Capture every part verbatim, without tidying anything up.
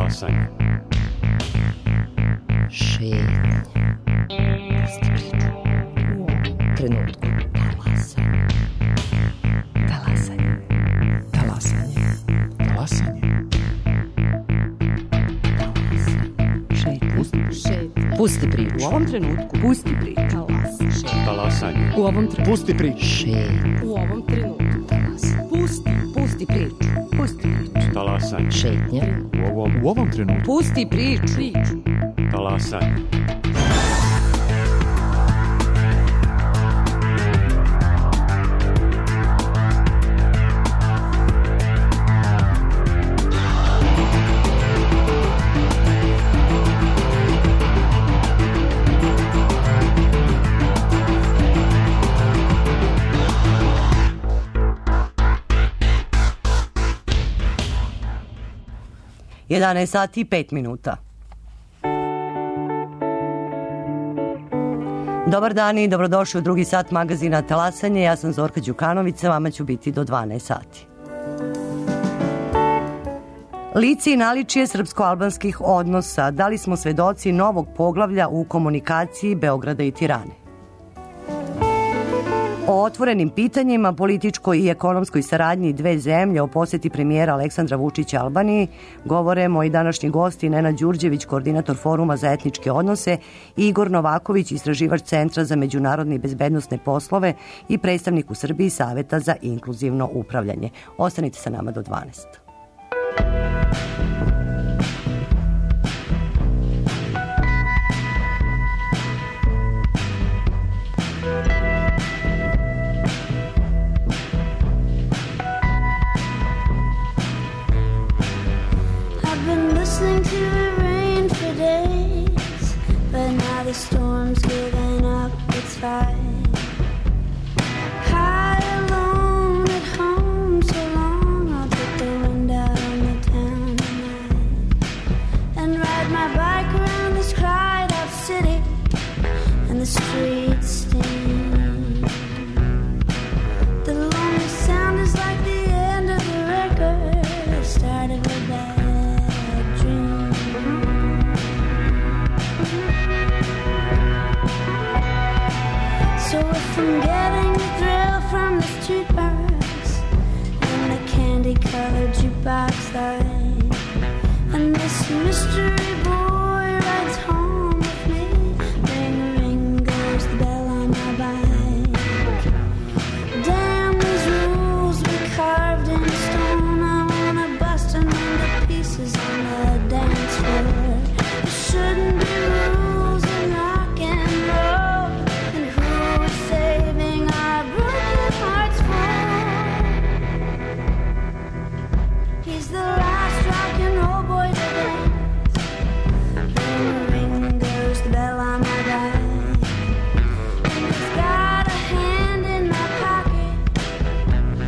Talasanje. Šetnja. Pusti priču. U ovom trenutku. Talasanje. Talasanje. Talasanje. Talasanje. Šetnja. Pusti, šetnja. Pusti priču. U ovom trenutku. Pusti priču. Talasanje. Šetnja. Talasanje. U ovom trenutku. Pusti priču. Šetnja. U ovom trenutku. Talasanje. Pusti, pusti priču. Pusti priču. Talasanje. Šetnja. U ovom, u ovom trenutku. Pusti priču. Priču. Talasanje. jedanaest sati i pet minuta. Dobar dan i dobrodošli u drugi sat magazina Talasanje. Ja sam Zorka Đukanović, sa vama ću biti do dvanaest sati. Lice i naličje srpsko-albanskih odnosa. Da li smo svedoci novog poglavlja u komunikaciji Beograda i Tirane? O otvorenim pitanjima, političkoj i ekonomskoj saradnji dve zemlje, o poseti premijera Aleksandra Vučića Albaniji, govore moji današnji gosti Nenad Đurđević, koordinator Foruma za etničke odnose, i Igor Novaković, istraživač Centra za međunarodne i bezbednosne poslove i predstavnik u Srbiji Saveta za inkluzivno upravljanje. Ostanite sa nama do dvanaest. The storm's giving up its fight. High alone at home so long, I'll take the wind out on the town tonight and ride my bike around this cried out city and the streets steam. The lonely sound is like the end of the record, the start of a bad dream. So if I'm getting the thrill from the jukebox and the candy-colored jukebox light, and this mystery boy rides home with me, ring, ring goes the bell on my bike. Damn these rules we carved in stone, I wanna bust them into pieces on the dance floor. There shouldn't be rules in rock and roll, and who is saving our broken hearts for? He's the last rock and roll boy to dance. Ring, ring goes the bell on my bike, and he's got a hand in my pocket.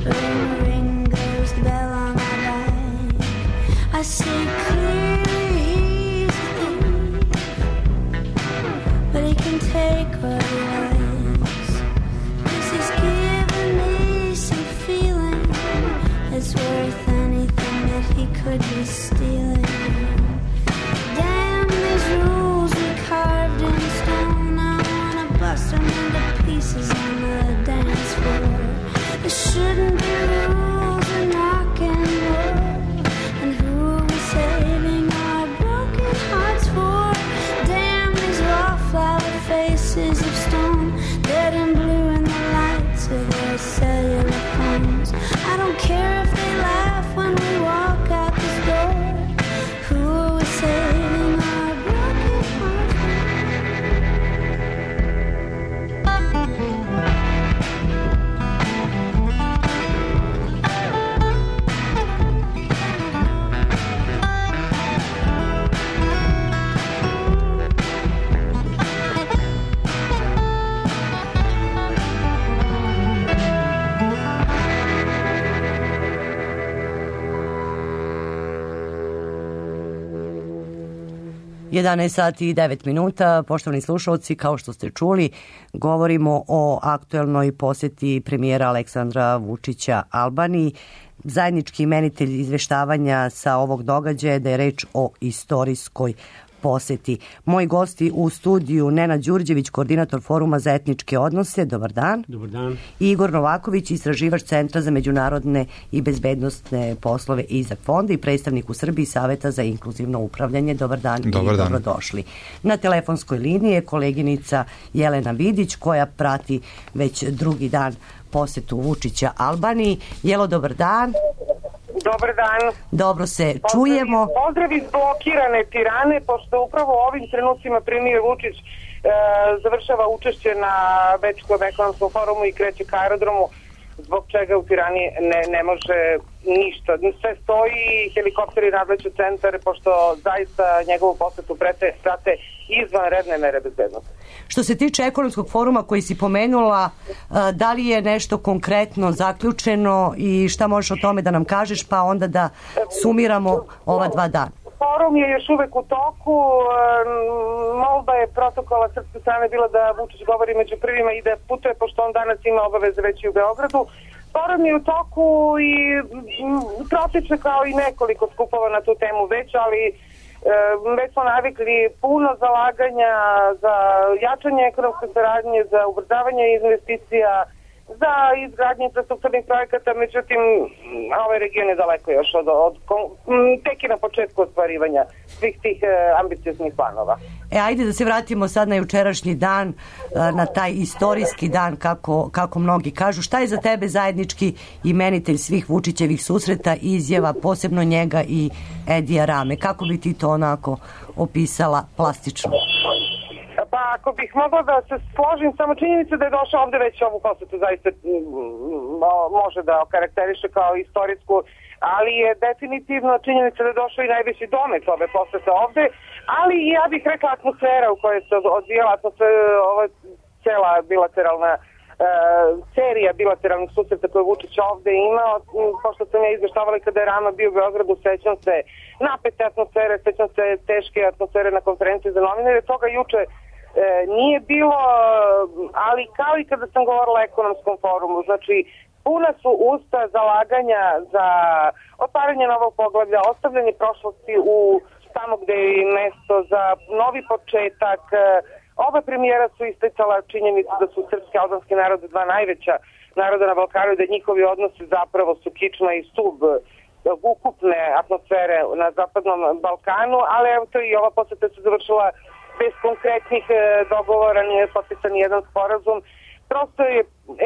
Ring, ring goes the bell on my bike. I see clearly he's a thief, but he can take what he likes, 'cause he's given me some feeling that's worth anything that he could be stealing. Damn these rules we carved in stone, I wanna bust them into pieces on the dance floor. There shouldn't be rules in rock and roll, and who are we saving our broken hearts for? Damn these wallflower faces of stone, dead and blue in the lights of their cellular phones. I don't care if they laugh when we walk out this door. Who are we saving our broken hearts for? jedanaest sati i devet minuta, poštovani slušalci, kao što ste čuli, govorimo o aktuelnoj poseti premijera Aleksandra Vučića Albaniji. zajednički imenitelj izveštavanja sa ovog događaja da je reč o istorijskoj poseti. Moji gosti u studiju Nenad Đurđević, koordinator Foruma za etničke odnose. Dobar dan. Dobar dan. I Igor Novaković, istraživač Centra za međunarodne i bezbednostne poslove Izak fonda i predstavnik u Srbiji Saveta za inkluzivno upravljanje. Dobar dan. Dobar i dan. dobrodošli. Na telefonskoj liniji je koleginica Jelena Vidić koja prati već drugi dan posetu Vučića Albaniji. Jelo, dobar dan. Dobar dan. Dobro se Pozdrav, čujemo. Pozdrav iz blokirane Tirane, pošto upravo u ovim trenucima premijer Vučić e, završava učešće na Bečkom ekonomskom forumu i kreće ka aerodromu, zbog čega u Tirani ne, ne može ništa. Sve stoji, helikopteri nadleću centar, pošto zaista njegovu posetu prate, prate izvanredne mere bezbednosti. Što se tiče ekonomskog foruma koji si pomenula, da li je nešto konkretno zaključeno i šta možeš o tome da nam kažeš, pa onda da sumiramo ova dva dana? Forum je još uvek u toku. Molba je protokola srpske strane bila da Vučić govori među prvima i da putuje, pošto on danas ima obaveze već i u Beogradu. Forum je u toku i protiče kao i nekoliko skupova na tu temu već, ali već smo navikli puno zalaganja za jačanje ekonomske saradnje, za ubrzavanje investicija, za izgradnje infrastrukturnih projekata, međutim, ovaj region je daleko još od, od, tek i na početku ostvarivanja svih tih e, ambicioznih planova. E, ajde da se vratimo sad na jučerašnji dan, na taj istorijski dan, kako, kako mnogi kažu. Šta je za tebe zajednički imenitelj svih Vučićevih susreta, izjava, posebno njega i Edija Rame? Kako bi ti to onako opisala plastično? Pa ako bih mogla da se složim, samo činjenica da je došao ovde već ovu posetu zaista može da okarakteriše kao istorijsku, ali je definitivno činjenica da je došao i najveći domet ove posete ovde, ali ja bih rekla atmosfera u kojoj se odvijala ova cela bilateralna Uh, serija bilateralnih susreta koje Vučić ovde imao, pošto sam ja izveštavala kada je Rama bio u Beogradu, sećam se napete atmosfere, sećam se teške atmosfere na konferenciji za novinare, toga juče e, nije bilo, ali kao i kada sam govorila o ekonomskom forumu, znači puna su usta zalaganja za otvaranje novog poglavlja, ostavljanje prošlosti u tamo gde je mesto za novi početak. Oba premijera su isticala činjenicu da su srpski i albanski narod dva najveća naroda na Balkanu i da njihovi odnosi zapravo su kičma i stub ukupne atmosfere na zapadnom Balkanu, ali evo to i ova poseta se završila bez konkretnih dogovora, nije potpisan jedan sporazum. Prosto je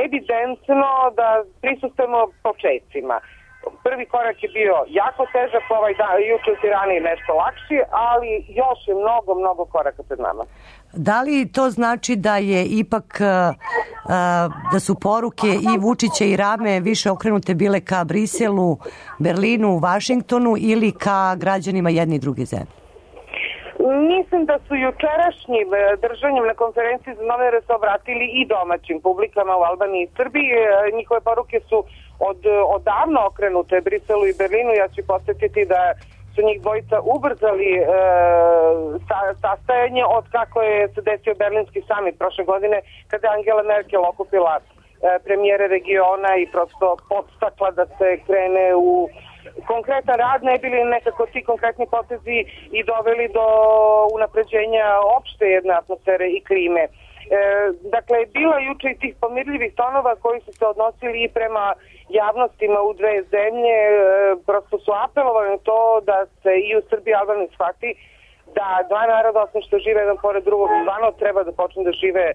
evidentno da prisustujemo početcima. Prvi korak je bio jako težak, ovaj dan, juče u Tirani nešto lakši, ali još je mnogo, mnogo koraka pred nama. Da li to znači da je ipak uh, da su poruke i Vučića i Rame više okrenute bile ka Briselu, Berlinu, Vašingtonu ili ka građanima jedne i druge zemlje? Mislim da su jučerašnjim držanjem na konferenciji za novinare se obratili i domaćim publikama u Albaniji i Srbiji. Njihove poruke su od, odavno okrenute Briselu i Berlinu. Ja ću podsjetiti da su njih dvojica ubrzali e, sa, sastajanje od kako je se desio Berlinski samit prošle godine, kada je Angela Merkel okupila e, premijere regiona i prosto podstakla da se krene u konkretan rad, ne bili nekako ti konkretni potezi i doveli do unapređenja opšte jedne atmosfere i klime. E, dakle, bila juče i tih pomirljivih tonova koji su se odnosili i prema javnostima u dve zemlje, e, prosto su apelovali na to da se i u Srbiji i Albaniji shvati da dva naroda, osim što žive jedan pored drugog, stvarno treba da počnu da žive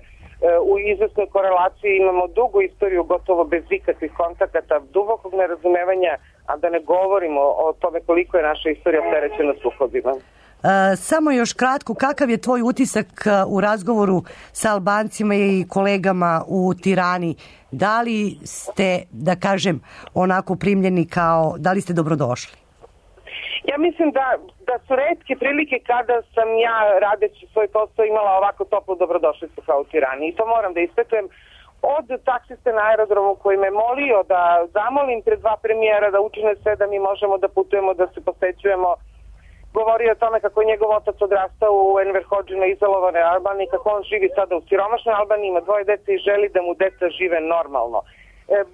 u izvesnoj korelaciji. Imamo dugu istoriju gotovo bez ikakvih kontakata, dubokog nerazumevanja, a da ne govorimo o tome koliko je naša istorija opterećena sukobima. E, samo još kratko, kakav je tvoj utisak u razgovoru sa Albancima i kolegama u Tirani? Da li ste, da kažem, onako primljeni kao, da li ste dobrodošli? Ja mislim da, da su retke prilike kada sam ja, radeći svoj posao, imala ovako toplu dobrodošlicu kao u Tirani. I to moram da ispetujem od taksiste na aerodromu koji me molio da zamolim pred dva premijera da učine sve da mi možemo da putujemo, da se posećujemo. Govorio o tome kako je njegov otac odrastao u Enver Hodžina izolovanoj Albaniji, kako on živi sada u siromašnoj Albaniji, ima dvoje dece i želi da mu deca žive normalno.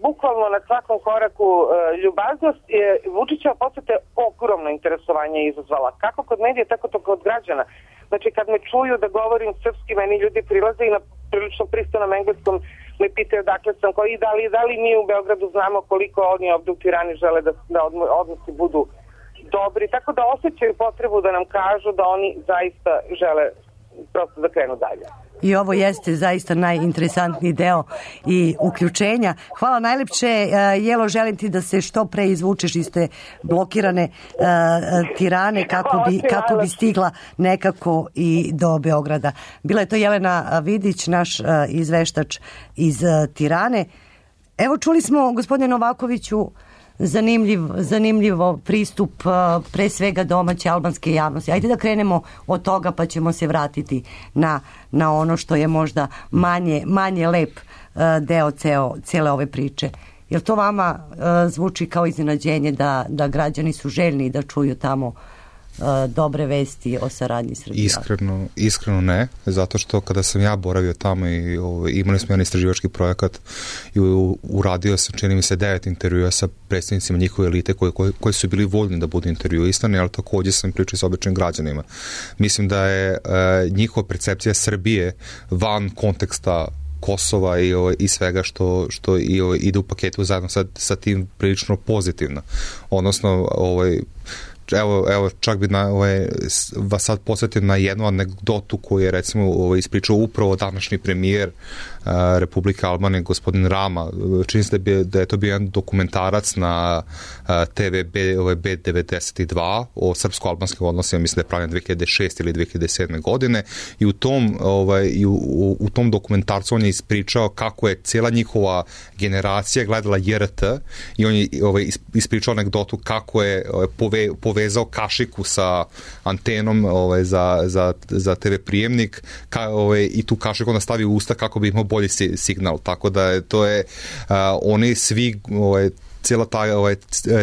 bukvalno na svakom koraku e, ljubaznost. E, Vučićeva poseta je ogromno interesovanje izazvala. Kako kod medija, tako to kod građana. Znači, kad me čuju da govorim srpski, meni ljudi prilaze i na prilično pristojnom engleskom me pitaju dakle sam koji i da li, da li mi u Beogradu znamo koliko oni ovde u Tirani žele da, da odnosi budu dobri. Tako da osjećaju potrebu da nam kažu da oni zaista žele prosto da krenu dalje. I ovo jeste zaista najinteresantniji deo i uključenja. Hvala najlepše. Jelo, želim ti da se što pre izvučeš iz te blokirane uh, Tirane kako bi, kako bi stigla nekako i do Beograda. Bila je to Jelena Vidić, naš uh, izveštač iz uh, Tirane. Evo, čuli smo, gospodine Novakoviću, Zanimljiv, zanimljivo pristup pre svega domaće albanske javnosti. Ajde da krenemo od toga pa ćemo se vratiti na, na ono što je možda manje, manje lep deo ceo, cijele ove priče. Jel to vama zvuči kao iznenađenje da, da građani su željni da čuju tamo dobre vesti o saradnji Srbije? Iskreno, iskreno ne, zato što kada sam ja boravio tamo i o, imali smo jedan istraživački projekat i u, uradio sam, čini mi se, devet intervjua sa predstavnicima njihove elite koji, koji, koji su bili voljni da budu intervjuisani, ali takođe sam pričao sa običnim građanima. Mislim da je e, njihova percepcija Srbije van konteksta Kosova i, o, i svega što, što i, o, ide u paketu zajedno sa, sa tim prilično pozitivno. Odnosno, ovaj, Evo, evo, čak bi na, ovaj, vas sad posjetio na jednu anegdotu koju je recimo ovaj, ispričao upravo današnji premijer uh, Republike Albanije, gospodin Rama. Čini se da, da je to bio jedan dokumentarac na uh, te ve B, ovaj, B devedeset dva o srpsko-albanskim odnosima, mislim da je pravljen dve hiljade šeste ili dve hiljade sedme godine i u tom, ovaj, i u, u, u tom dokumentarcu on je ispričao kako je cijela njihova generacija gledala J R T i on je ovaj, ispričao anegdotu kako je ovaj, pove, pove vezao kašiku sa antenom ovaj, za, za, za te ve prijemnik ka, ovaj, i tu kašiku onda stavi u usta kako bi imao bolji si, signal. Tako da to je, uh, oni svi, ovaj, cijela ta, ovaj,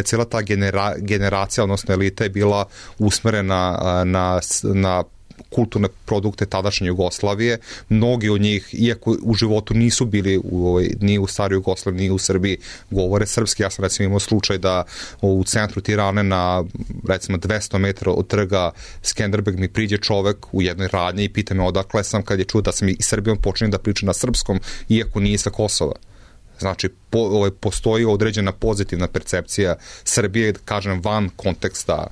cijela ta genera, generacija, odnosno elita je bila usmerena uh, na, na kulturne produkte tadašnje Jugoslavije. Mnogi od njih, iako u životu nisu bili u, ovaj, ni u staroj Jugoslaviji, ni u Srbiji, govore srpski. Ja sam recimo imao slučaj da u centru Tirane na recimo dvesta metara od trga Skenderbeg mi priđe čovek u jednoj radnji i pita me odakle sam, kad je čuo da sam i Srbijom počinio da pričam na srpskom, iako nije sa Kosova. Znači, po, ovaj, postoji određena pozitivna percepcija Srbije, kažem, van konteksta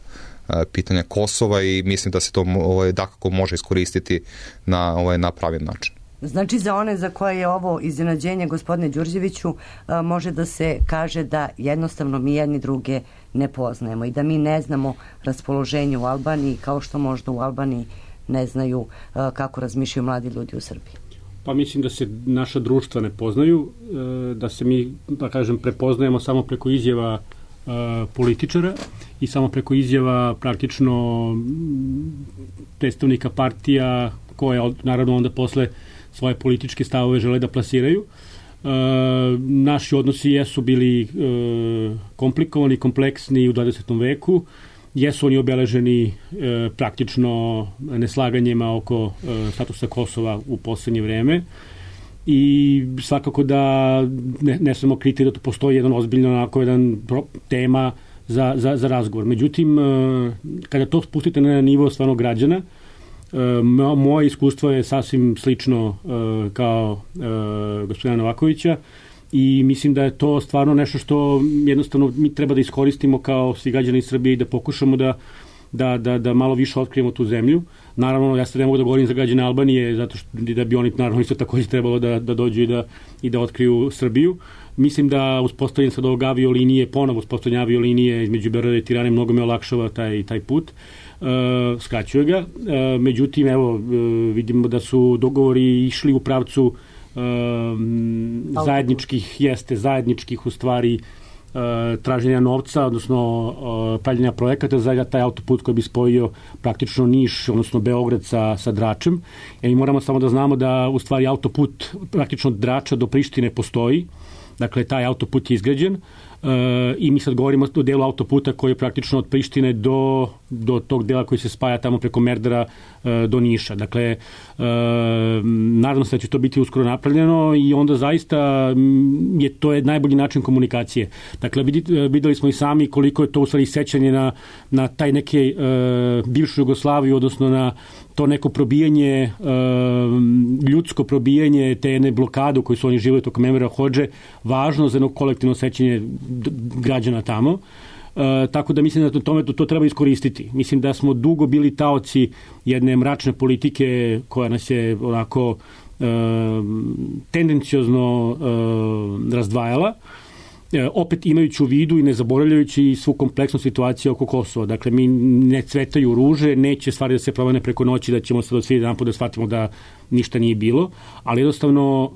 pitanja Kosova i mislim da se to ovaj, dakako može iskoristiti na, ovaj, na pravi način. Znači, za one za koje je ovo iznenađenje, gospodine Đurđeviću, može da se kaže da jednostavno mi jedni druge ne poznajemo i da mi ne znamo raspoloženje u Albaniji kao što možda u Albaniji ne znaju kako razmišljaju mladi ljudi u Srbiji. Pa mislim da se naša društva ne poznaju, da se mi, da kažem, prepoznajemo samo preko izjava političara i samo preko izjava praktično predstavnika partija koje naravno onda posle svoje političke stavove žele da plasiraju. E, naši odnosi jesu bili e, komplikovani, kompleksni u dvadesetom veku, jesu oni obeleženi e, praktično neslaganjima oko e, statusa Kosova u poslednje vreme. I svakako da ne, ne samo kriti da to postoji jedan ozbiljno onako jedan pro, tema za, za, za razgovor. Međutim, kada to spustite na nivo stvarno građana, moje iskustvo je sasvim slično kao gospodina Novakovića i mislim da je to stvarno nešto što jednostavno mi treba da iskoristimo kao svi građani Srbije i da pokušamo da Da, da, da malo više otkrijemo tu zemlju. Naravno, ja se ne mogu da govorim za građane Albanije, zato što da bi oni naravno isto takođe trebalo da, da dođu i da, i da otkriju Srbiju. Mislim da uspostavljanje sad ovog aviolinije, ponovo uspostavljanje aviolinije između Beograda i Tirane mnogo me olakšava taj, taj put. E, skraćuje ga. E, međutim, evo, vidimo da su dogovori išli u pravcu e, zajedničkih, jeste, zajedničkih u stvari traženja novca, odnosno pravljenja projekata za taj autoput koji bi spojio praktično Niš, odnosno Beograd sa, sa Dračem. I moramo samo da znamo da u stvari autoput praktično od Drača do Prištine postoji Dakle, taj autoput je izgrađen uh, i mi sad govorimo o delu autoputa koji je praktično od Prištine do, do tog dela koji se spaja tamo preko Merdara uh, do Niša. Dakle, uh, nadam se da će to biti uskoro napravljeno i onda zaista je to je najbolji način komunikacije. Dakle, videli smo i sami koliko je to u stvari sećanje na, na taj neke uh, bivšu Jugoslaviju, odnosno na to neko probijanje, uh, ljudsko probijanje te jedne blokade u kojoj su oni živjeli tokom Envera Hodže, važno za jedno kolektivno sećanje građana tamo. Uh, tako da mislim da to, tome to, to treba iskoristiti. Mislim da smo dugo bili taoci jedne mračne politike koja nas je onako uh, tendenciozno uh, razdvajala. Opet imajući u vidu i ne zaboravljajući svu kompleksnu situaciju oko Kosova. Dakle, mi ne cvetaju ruže, neće stvari da se promene preko noći, da ćemo se od svi jedan put da shvatimo da ništa nije bilo, ali jednostavno uh,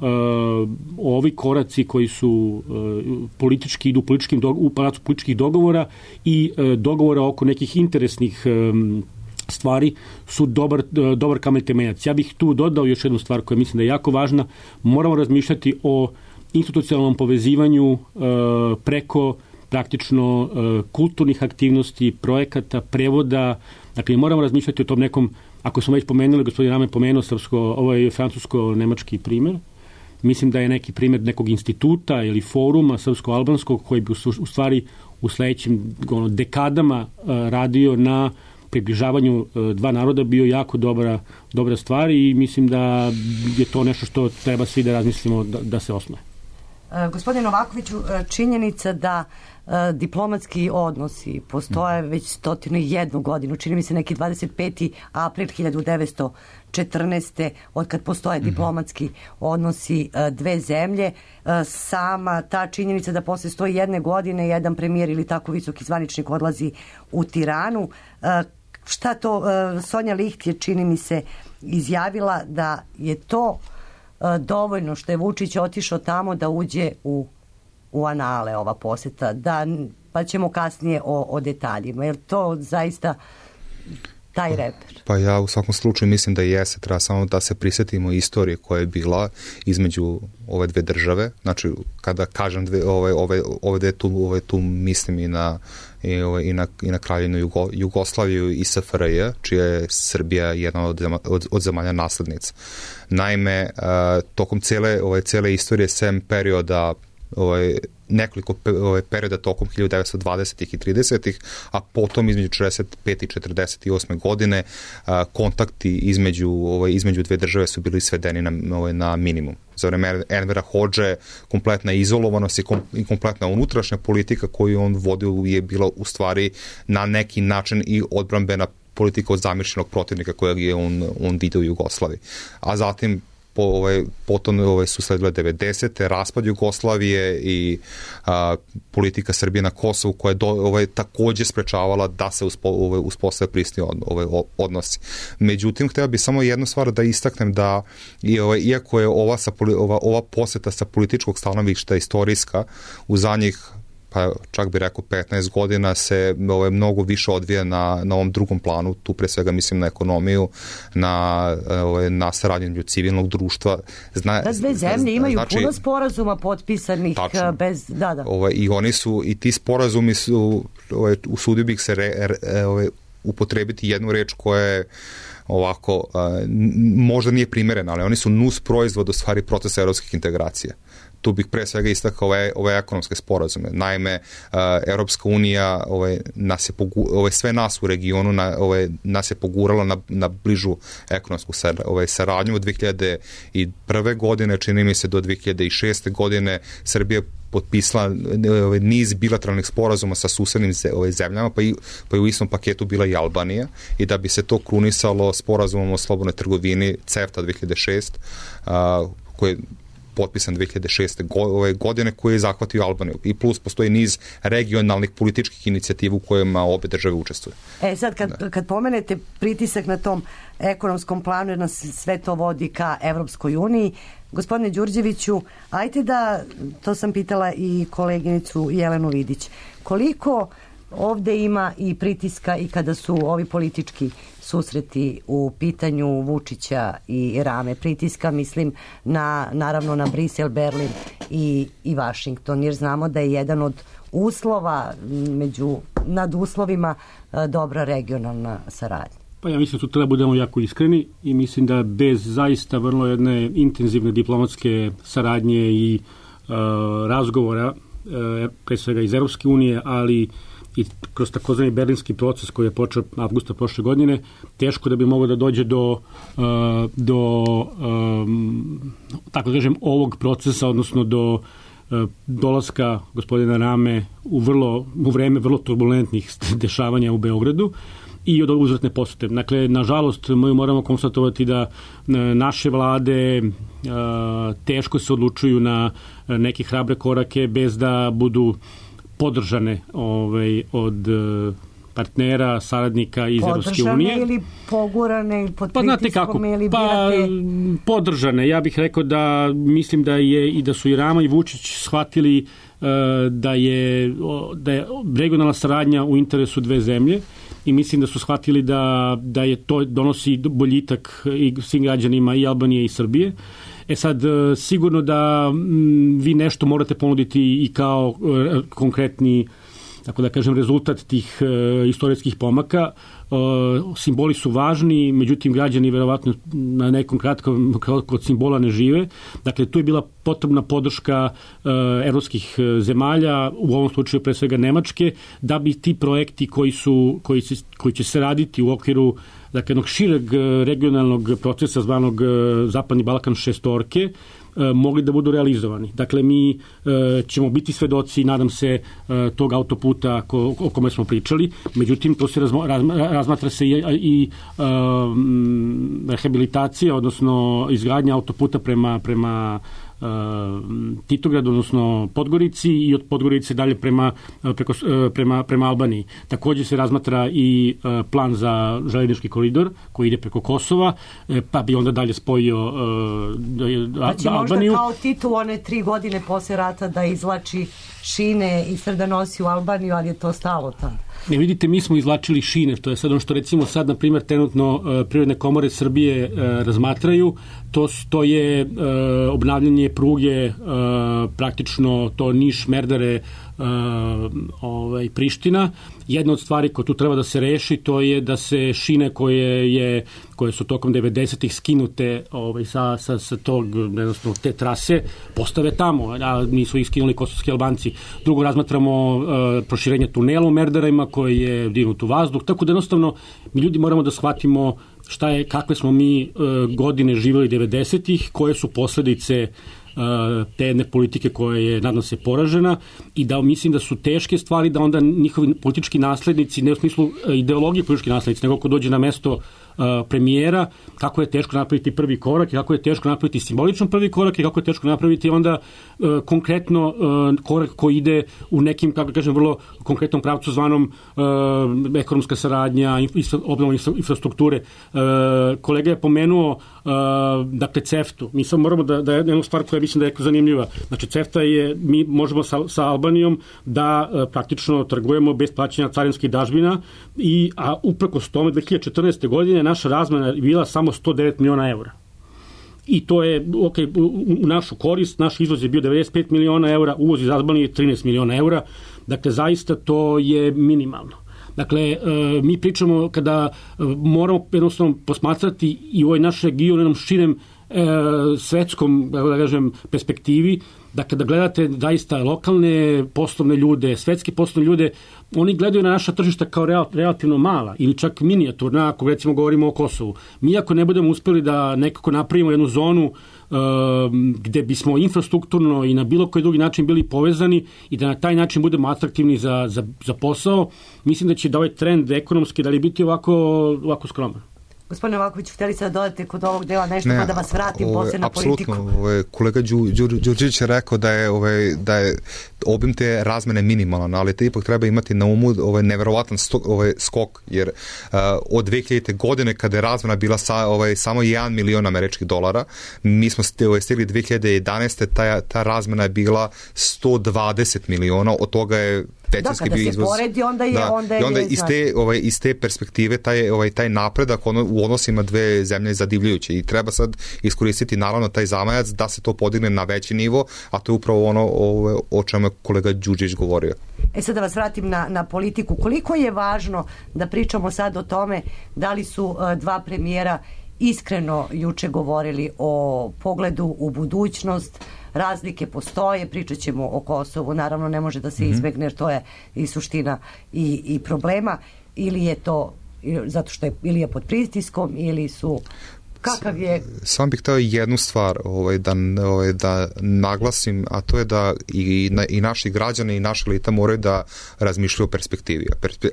ovi koraci koji su uh, politički, idu političkim do, u palacu političkih dogovora i uh, dogovora oko nekih interesnih um, stvari su dobar, uh, dobar kamen temeljac. Ja bih tu dodao još jednu stvar koja mislim da je jako važna. Moramo razmišljati o institucionalnom povezivanju uh, preko praktično uh, kulturnih aktivnosti, projekata, prevoda. Dakle, moramo razmišljati o tom nekom, ako smo već pomenuli, gospodin Ramen pomenuo srpsko, ovo je francusko-nemački primer. Mislim da je neki primer nekog instituta ili foruma srpsko-albanskog koji bi u, u stvari u sledećim ono, dekadama uh, radio na približavanju uh, dva naroda bio jako dobra, dobra stvar i mislim da je to nešto što treba svi da razmislimo da, da se osnoje. Gospodin Novakoviću, činjenica da uh, diplomatski odnosi postoje već stotinu i jednu godinu, čini mi se neki dvadeset peti april hiljadu devetsto četrnaeste. od kad postoje diplomatski odnosi uh, dve zemlje. Uh, sama ta činjenica da posle sto jedne godine jedan premijer ili tako visoki zvaničnik odlazi u Tiranu. Uh, šta to, uh, Sonja Licht je, čini mi se, izjavila da je to dovoljno što je Vučić otišao tamo da uđe u, u anale ova poseta, da, pa ćemo kasnije o, o detaljima. Je li to zaista taj reper? Pa ja u svakom slučaju mislim da jeste, treba samo da se prisetimo istorije koja je bila između ove dve države. Znači, kada kažem dve, ove, ove, ove dve tu, ove tu mislim i na i, ove, i na, i na Kraljevinu Jugo, Jugoslaviju i S F R J, čija je Srbija jedna od, od, od zemalja naslednica. Naime, uh, tokom cele, ove, cele istorije, sem perioda ovaj, nekoliko ovaj, perioda tokom hiljadu devetsto dvadesetih i tridesetih, a potom između četrdeset pete i četrdeset osme godine a, kontakti između, ovaj, između dve države su bili svedeni na, ovaj, na minimum. Za vreme Envera Hodže kompletna izolovanost i, kom, i kompletna unutrašnja politika koju on vodio je bila u stvari na neki način i odbrambena politika od zamišljenog protivnika kojeg je on, on vidio u Jugoslaviji. A zatim Po, ovaj, potom ovaj, su sledile devedesete. raspad Jugoslavije i a, politika Srbije na Kosovu koja je do, ovaj, takođe sprečavala da se uspo, ovaj, uspostave prisni od, ovaj, odnosi. Međutim, hteo bih samo jednu stvar da istaknem da i, ovaj, iako je ova, sa, ova, ova poseta sa političkog stanovišta istorijska u zadnjih pa čak bi rekao petnaest godina se ovaj, mnogo više odvija na, na ovom drugom planu, tu pre svega mislim na ekonomiju, na, ovaj, na saradnju civilnog društva. Zna, da dve zemlje imaju znači, puno sporazuma potpisanih tačno, bez... Da, da. Ovaj, i oni su, i ti sporazumi su, ovaj, usudio bih se re, re, ovaj, upotrebiti jednu reč koja je ovako, a, možda nije primerena, ali oni su nus proizvod u stvari procesa evropskih integracija. Tu bih pre svega istakao ove, ove ekonomske sporazume. Naime, uh, Evropska unija ovaj, nas je pogu, ovaj, sve nas u regionu na, ovaj, nas je pogurala na, na bližu ekonomsku sar, ovaj, saradnju od dve hiljade prve. godine, čini mi se do dve hiljade šeste. godine Srbija potpisala ovaj, niz bilateralnih sporazuma sa susednim ovaj, zemljama, pa i, pa i u istom paketu bila i Albanija, i da bi se to krunisalo sporazumom o slobodnoj trgovini CEFTA dve hiljade šeste. Uh, koje potpisan dve hiljade šeste. Ove godine koje je zahvatio Albaniju. I plus postoji niz regionalnih političkih inicijativa u kojima obe države učestvuju. E sad kad, da. kad pomenete pritisak na tom ekonomskom planu, jer nas sve to vodi ka Evropskoj uniji, gospodine Đurđeviću, ajte da, to sam pitala i koleginicu Jelenu Vidić, koliko ovde ima i pritiska i kada su ovi politički susreti u pitanju Vučića i Rame pritiska, mislim na, naravno na Brisel, Berlin i, i Vašington, jer znamo da je jedan od uslova među nad uslovima dobra regionalna saradnja. Pa ja mislim da tu treba budemo jako iskreni i mislim da bez zaista vrlo jedne intenzivne diplomatske saradnje i uh, razgovora, uh, pre svega iz Evropske unije, ali i kroz takozvani berlinski proces koji je počeo avgusta prošle godine, teško da bi moglo da dođe do, uh, do um, tako da kažem, ovog procesa, odnosno do uh, dolaska gospodina Rame u, vrlo, u vreme vrlo turbulentnih dešavanja u Beogradu i od uzvratne posete. Dakle, nažalost, mi moramo konstatovati da naše vlade uh, teško se odlučuju na neke hrabre korake bez da budu podržane ovaj, od uh, partnera, saradnika iz Evropske unije. Podržane ili pogurane pod pa, pritiskom ili pa, birate? Podržane. Ja bih rekao da mislim da je i da su i Rama i Vučić shvatili uh, da je, da je regionalna saradnja u interesu dve zemlje i mislim da su shvatili da, da je to donosi boljitak i svim građanima i Albanije i Srbije. E sad, sigurno da m, vi nešto morate ponuditi i kao e, konkretni, tako da kažem, rezultat tih e, istorijskih pomaka. E, simboli su važni, međutim građani verovatno na nekom kratkom kod simbola ne žive. Dakle, tu je bila potrebna podrška e, evropskih zemalja, u ovom slučaju pre svega Nemačke, da bi ti projekti koji, su, koji, se, koji će se raditi u okviru dakle, jednog šireg regionalnog procesa zvanog Zapadni Balkan šestorke, mogli da budu realizovani. Dakle, mi e, ćemo biti svedoci, nadam se, e, tog autoputa ko, o kome smo pričali. Međutim, to se razmo, raz, razmatra se i, i e, rehabilitacija, odnosno izgradnja autoputa prema, prema e, Titogradu, odnosno Podgorici i od Podgorice dalje prema, preko, prema, prema Albaniji. Također se razmatra i e, plan za željeznički koridor koji ide preko Kosova, e, pa bi onda dalje spojio e, da, znači, možda kao Tito one tri godine posle rata da izlači šine i sve da nosi u Albaniju, ali je to stalo tamo. Ne, vidite, mi smo izvlačili šine, to je sad ono što recimo sad, na primjer, trenutno uh, Privredne komore Srbije uh, razmatraju, to, to je uh, obnavljanje pruge, uh, praktično to Niš, Merdare, uh, ovaj, Priština. Jedna od stvari koja tu treba da se reši, to je da se šine koje, je, koje su tokom devedesetih skinute ovaj, sa, sa, sa tog, jednostavno, te trase, postave tamo, a nisu ih skinuli kosovski Albanci. Drugo, razmatramo uh, proširenje tunela u Merdarima koji je dignut u vazduh, tako da jednostavno mi ljudi moramo da shvatimo šta je, kakve smo mi uh, godine živjeli devedesetih, koje su posledice te jedne politike koja je, nadam se, poražena i da mislim da su teške stvari da onda njihovi politički naslednici, ne u smislu ideologije politički naslednici, nego ko dođe na mesto uh, premijera, kako je teško napraviti prvi korak i kako je teško napraviti simbolično prvi korak i kako je teško napraviti onda uh, konkretno uh, korak koji ide u nekim, kako kažem, vrlo konkretnom pravcu zvanom uh, ekonomska saradnja, infra, obnovom infrastrukture. Uh, kolega je pomenuo uh, dakle CEFTA-u. Mi sad moramo da, da je jedna stvar koja mislim da je zanimljiva. Znači CEFTA je, mi možemo sa, sa Albanijom da uh, praktično trgujemo bez plaćanja carinskih dažbina i, a uprkos tome dve hiljade četrnaeste. godine naša razmena je bila samo sto devet miliona eura. I to je, ok, u, u našu korist, naš izvoz je bio devedeset pet miliona eura, uvoz iz Albanije trinaest miliona eura, dakle zaista to je minimalno. Dakle, mi pričamo kada moramo jednostavno posmatrati i ovaj naš region u jednom širem svetskom, da kažem, perspektivi, da kada gledate zaista lokalne poslovne ljude, svetske poslovne ljude, oni gledaju na naša tržišta kao real, relativno mala ili čak minijaturna, ako recimo govorimo o Kosovu. Mi ako ne budemo uspeli da nekako napravimo jednu zonu uh, gde bismo infrastrukturno i na bilo koji drugi način bili povezani i da na taj način budemo atraktivni za, za, za posao, mislim da će da ovaj trend ekonomski da li biti ovako, ovako skroman. Gospodine Novaković, htjeli ste da dodate kod ovog dela nešto, ne, pa da vas vratim posle na politiku. Apsolutno, kolega Đu, Đu, Đurđević je rekao da je, ovaj, da je obim te razmene minimalan, ali te ipak treba imati na umu ovaj neverovatan sto, ovaj skok, jer uh, od dve hiljadite. godine kada je razmena bila sa, ovaj, samo jedan milion američkih dolara, mi smo ovaj, stigli dve hiljade jedanaeste. Ta, ta razmena je bila sto dvadeset miliona, od toga je većinski da, bio se izvoz. Poredi, onda je, da, onda je, i onda iz te, ovaj, iz te perspektive taj, ovaj, taj napredak ono, u odnosima dve zemlje zadivljujuće i treba sad iskoristiti naravno taj zamajac da se to podigne na veći nivo, a to je upravo ono o, o čemu je kolega Đurđević govorio. E sad da vas vratim na, na politiku. Koliko je važno da pričamo sad o tome da li su uh, dva premijera iskreno juče govorili o pogledu u budućnost, razlike postoje, pričat ćemo o Kosovu, naravno ne može da se izbegne jer to je i suština i, i problema, ili je to zato što je ili je pod pritiskom ili su kakav je... Sam bih htio jednu stvar ovaj, da, ovaj, da naglasim, a to je da i, na, i naši građani i naša elita moraju da razmišljaju o perspektivi.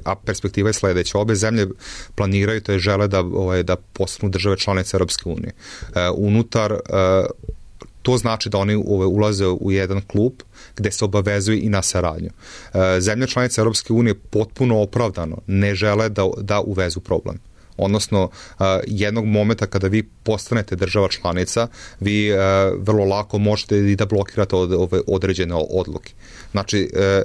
A perspektiva je sledeća. Obe zemlje planiraju, to je žele da, ovaj, da postanu države članice Europske unije. E, unutar e, to znači da oni ulaze u jedan klub gde se obavezuju i na saradnju. E, zemlje članice Europske unije potpuno opravdano ne žele da, da uvezu problem. Odnosno, uh, jednog momenta kada vi postanete država članica, vi uh, vrlo lako možete i da blokirate od, ove određene odluke. Znači, uh,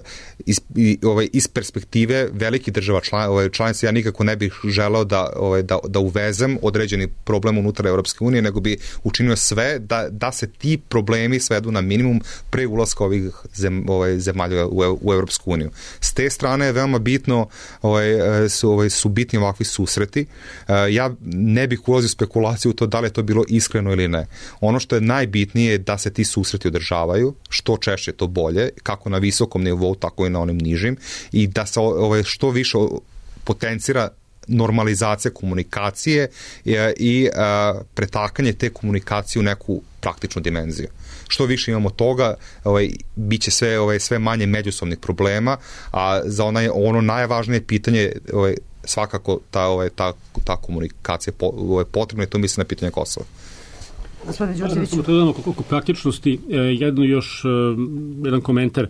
iz, i, ovaj, iz perspektive velikih država član, ovaj, članica, ja nikako ne bih želeo da, ovaj, da, da uvezem određeni problem unutar Europske unije, nego bi učinio sve da, da se ti problemi svedu na minimum pre ulaska ovih zem, ovaj, zemalja u, u Europsku uniju. S te strane je veoma bitno, ovaj, su, ovaj, su bitni ovakvi susreti. Ja ne bih ulazio u spekulaciju u to da li je to bilo iskreno ili ne. Ono što je najbitnije je da se ti susreti održavaju, što češće to bolje, kako na visokom nivou, tako i na onim nižim, i da se ovaj, što više potencira normalizacija komunikacije i, i a, pretakanje te komunikacije u neku praktičnu dimenziju. Što više imamo toga, ovaj, bit će sve, ovaj, sve manje međusobnih problema, a za onaj, ono najvažnije pitanje ovaj, svakako ta, ovaj, ta, ta komunikacija po, ovaj, potrebna i to mislim na pitanje Kosova. Gospodin Đurđević. Samo to oko praktičnosti, jedno još, jedan komentar.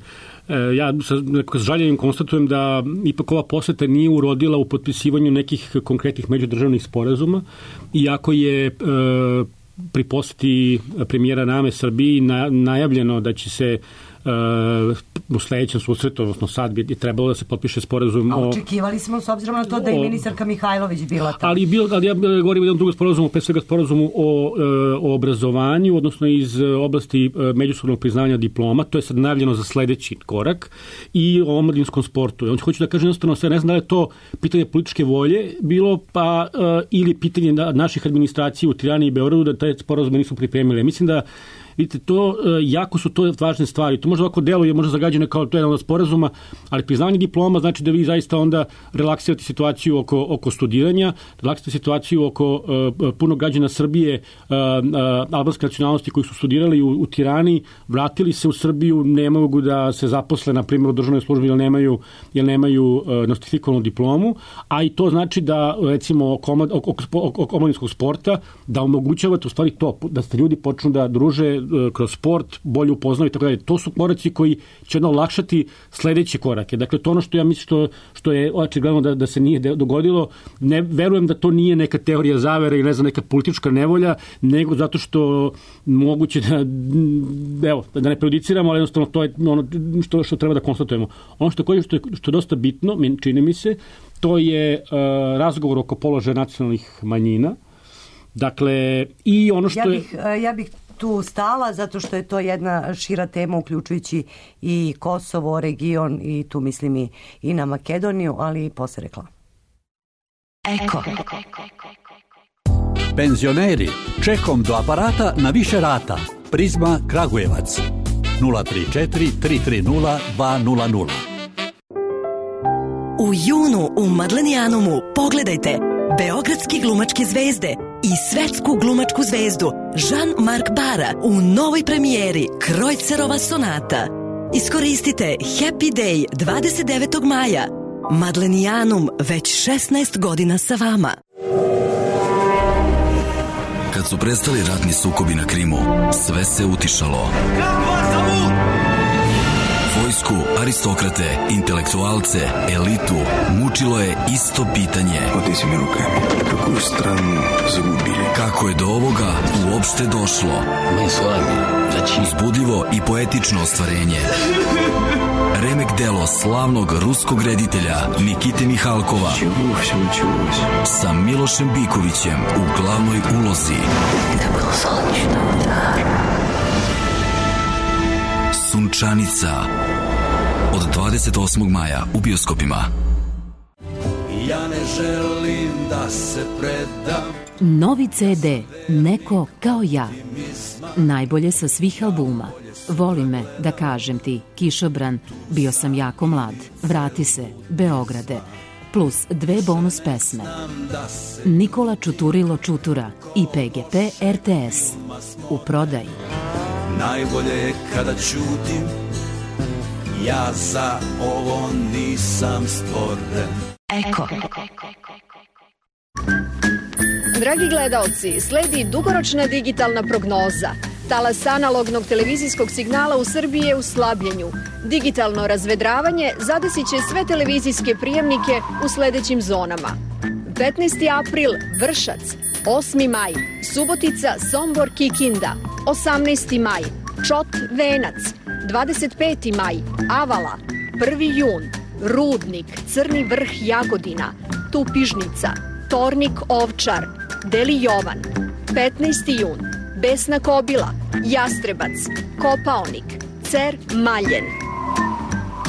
Ja sa, sa žaljenjem konstatujem da ipak ova poseta nije urodila u potpisivanju nekih konkretnih međudržavnih sporazuma, iako je e, pri poseti premijera Name Srbiji na, najavljeno da će se Uh, u sledećem susretu, odnosno sad bi trebalo da se potpiše sporazum. A očekivali smo s obzirom na to da je ministarka Mihajlović bila tamo. Ali, bil, ali ja govorim o jednom drugom sporazumu, pre svega sporazumu o, o obrazovanju, odnosno iz oblasti međusobnog priznavanja diploma, to je sad najavljeno za sledeći korak, i o omladinskom sportu. Ja hoću da kažem jednostavno sve, ne znam da li je to pitanje političke volje bilo, pa uh, ili pitanje naših administracija u Tirani i Beogradu da te sporazume nisu pripremili. Mislim da vidite, to, jako su to važne stvari. To možda ovako deluje, možda zagađeno kao to je jedan od sporazuma, ali priznavanje diploma znači da vi zaista onda relaksirate situaciju oko, oko studiranja, relaksirate situaciju oko uh, puno građana Srbije, uh, uh, albanske nacionalnosti koji su studirali u, u Tirani, vratili se u Srbiju, ne mogu da se zaposle, na primjer, u državnoj službi, jer nemaju, jer nemaju uh, nostrifikovanu diplomu, a i to znači da, recimo, oko, oko, oko, oko omladinskog sporta, da omogućavate u stvari to, da ste ljudi počnu da druže kroz sport, bolje upoznaju i tako dalje. To su koraci koji će ono olakšati sledeće korake. Dakle, to ono što ja mislim što, što je očigledno da, da se nije dogodilo, ne verujem da to nije neka teorija zavere i ne znam, neka politička nevolja, nego zato što moguće da, evo, da ne prejudiciramo, ali jednostavno to je ono što, što treba da konstatujemo. Ono što je, što je, što je dosta bitno, čini mi se, to je uh, razgovor oko položaja nacionalnih manjina. Dakle, i ono što ja je... bih, ja bih tu stala zato što je to jedna šira tema uključujući i Kosovo, region i tu mislim i, i na Makedoniju, ali i posle reklama. Eko. Penzioneri, čekom do aparata na više rata. Prizma Kragujevac nula tri četiri tri tri nula dva nula nula. U junu u Madlenijanumu pogledajte beogradski glumačke zvezde i svetsku glumačku zvezdu Jean-Marc Bara u novoj premijeri Krojcerova sonata. Iskoristite Happy Day dvadeset devetog maja. Madlenijanum već šesnaest godina sa vama. Kad su prestali ratni sukobi na Krimu, sve se utišalo. Vojsku, aristokrate, intelektualce, elitu mučilo je isto pitanje. Oteci mi ruke, kakvu stranu zagubili? Kako je do ovoga uopšte došlo? Mi s vami, znači... Uzbudljivo i poetično ostvarenje. remek delo slavnog ruskog reditelja Nikite Mihalkova sa Milošem Bikovićem u glavnoj ulozi. Sunčanica od dvadeset osmog maja u bioskopima. Ja ne želim da se predam. Novi ce de Neko kao ja. Najbolje sa svih albuma. Voli me, da kažem ti, Kišobran, Bio sam jako mlad, Vrati se, Beograde, plus dve bonus pesme. Nikola Čuturilo Čutura i pe ge pe er te es. U prodaji. Najbolje je kada ćutim, ja za ovo nisam stvoren. Eko. Dragi gledaoci, sledi dugoročna digitalna prognoza. Talas analognog televizijskog signala u Srbiji je u slabljenju. Digitalno razvedravanje zadesit će sve televizijske prijemnike u sledećim zonama. petnaesti april Vršac, osmi maj Subotica, Sombor, Kikinda, osamnaesti maj Čot, Venac, dvadeset peti maj Avala, prvi jun Rudnik, Crni Vrh, Jagodina, Tupižnica, Tornik, Ovčar, Deli Jovan, petnaesti jun Besna Kobila, Jastrebac, Kopaonik, Cer, Maljen.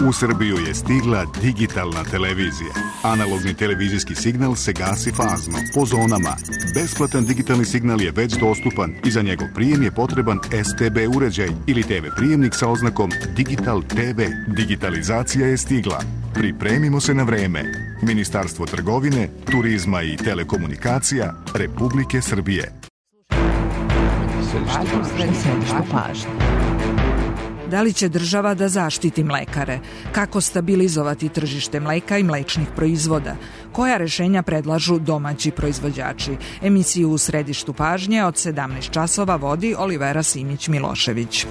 U Srbiju je stigla digitalna televizija. Analogni televizijski signal se gasi fazno, po zonama. Besplatan digitalni signal je već dostupan i za njegov prijem je potreban es te be uređaj ili te ve prijemnik sa oznakom Digital te ve. Digitalizacija je stigla. Pripremimo se na vreme. Ministarstvo trgovine, turizma i telekomunikacija Republike Srbije. Središte pažnje. Da li će država da zaštiti mlekare? Kako stabilizovati tržište mleka i mlečnih proizvoda? Koja rešenja predlažu domaći proizvođači? Emisiju u središtu pažnje od sedamnaest časova vodi Olivera Simić-Milošević.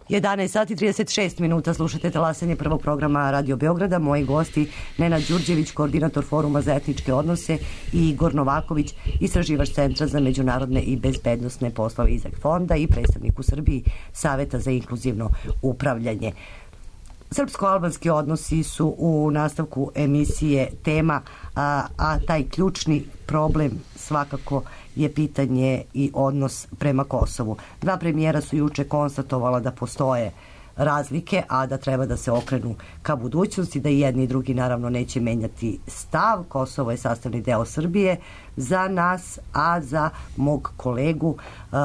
jedanaest sati i trideset šest minuta, slušate talasanje prvog programa Radio Beograda. Moji gosti Nenad Đurđević, koordinator Foruma za etničke odnose, i Igor Novaković, istraživač Centra za međunarodne i bezbednosne poslove Izak fonda i predstavnik u Srbiji Saveta za inkluzivno upravljanje. Srpsko-albanski odnosi su u nastavku emisije tema, a, a taj ključni problem svakako je pitanje i odnos prema Kosovu. Dva premijera su juče konstatovala da postoje razlike, a da treba da se okrenu ka budućnosti, da i jedni i drugi naravno neće menjati stav. Kosovo je sastavni deo Srbije za nas, a za mog kolegu uh,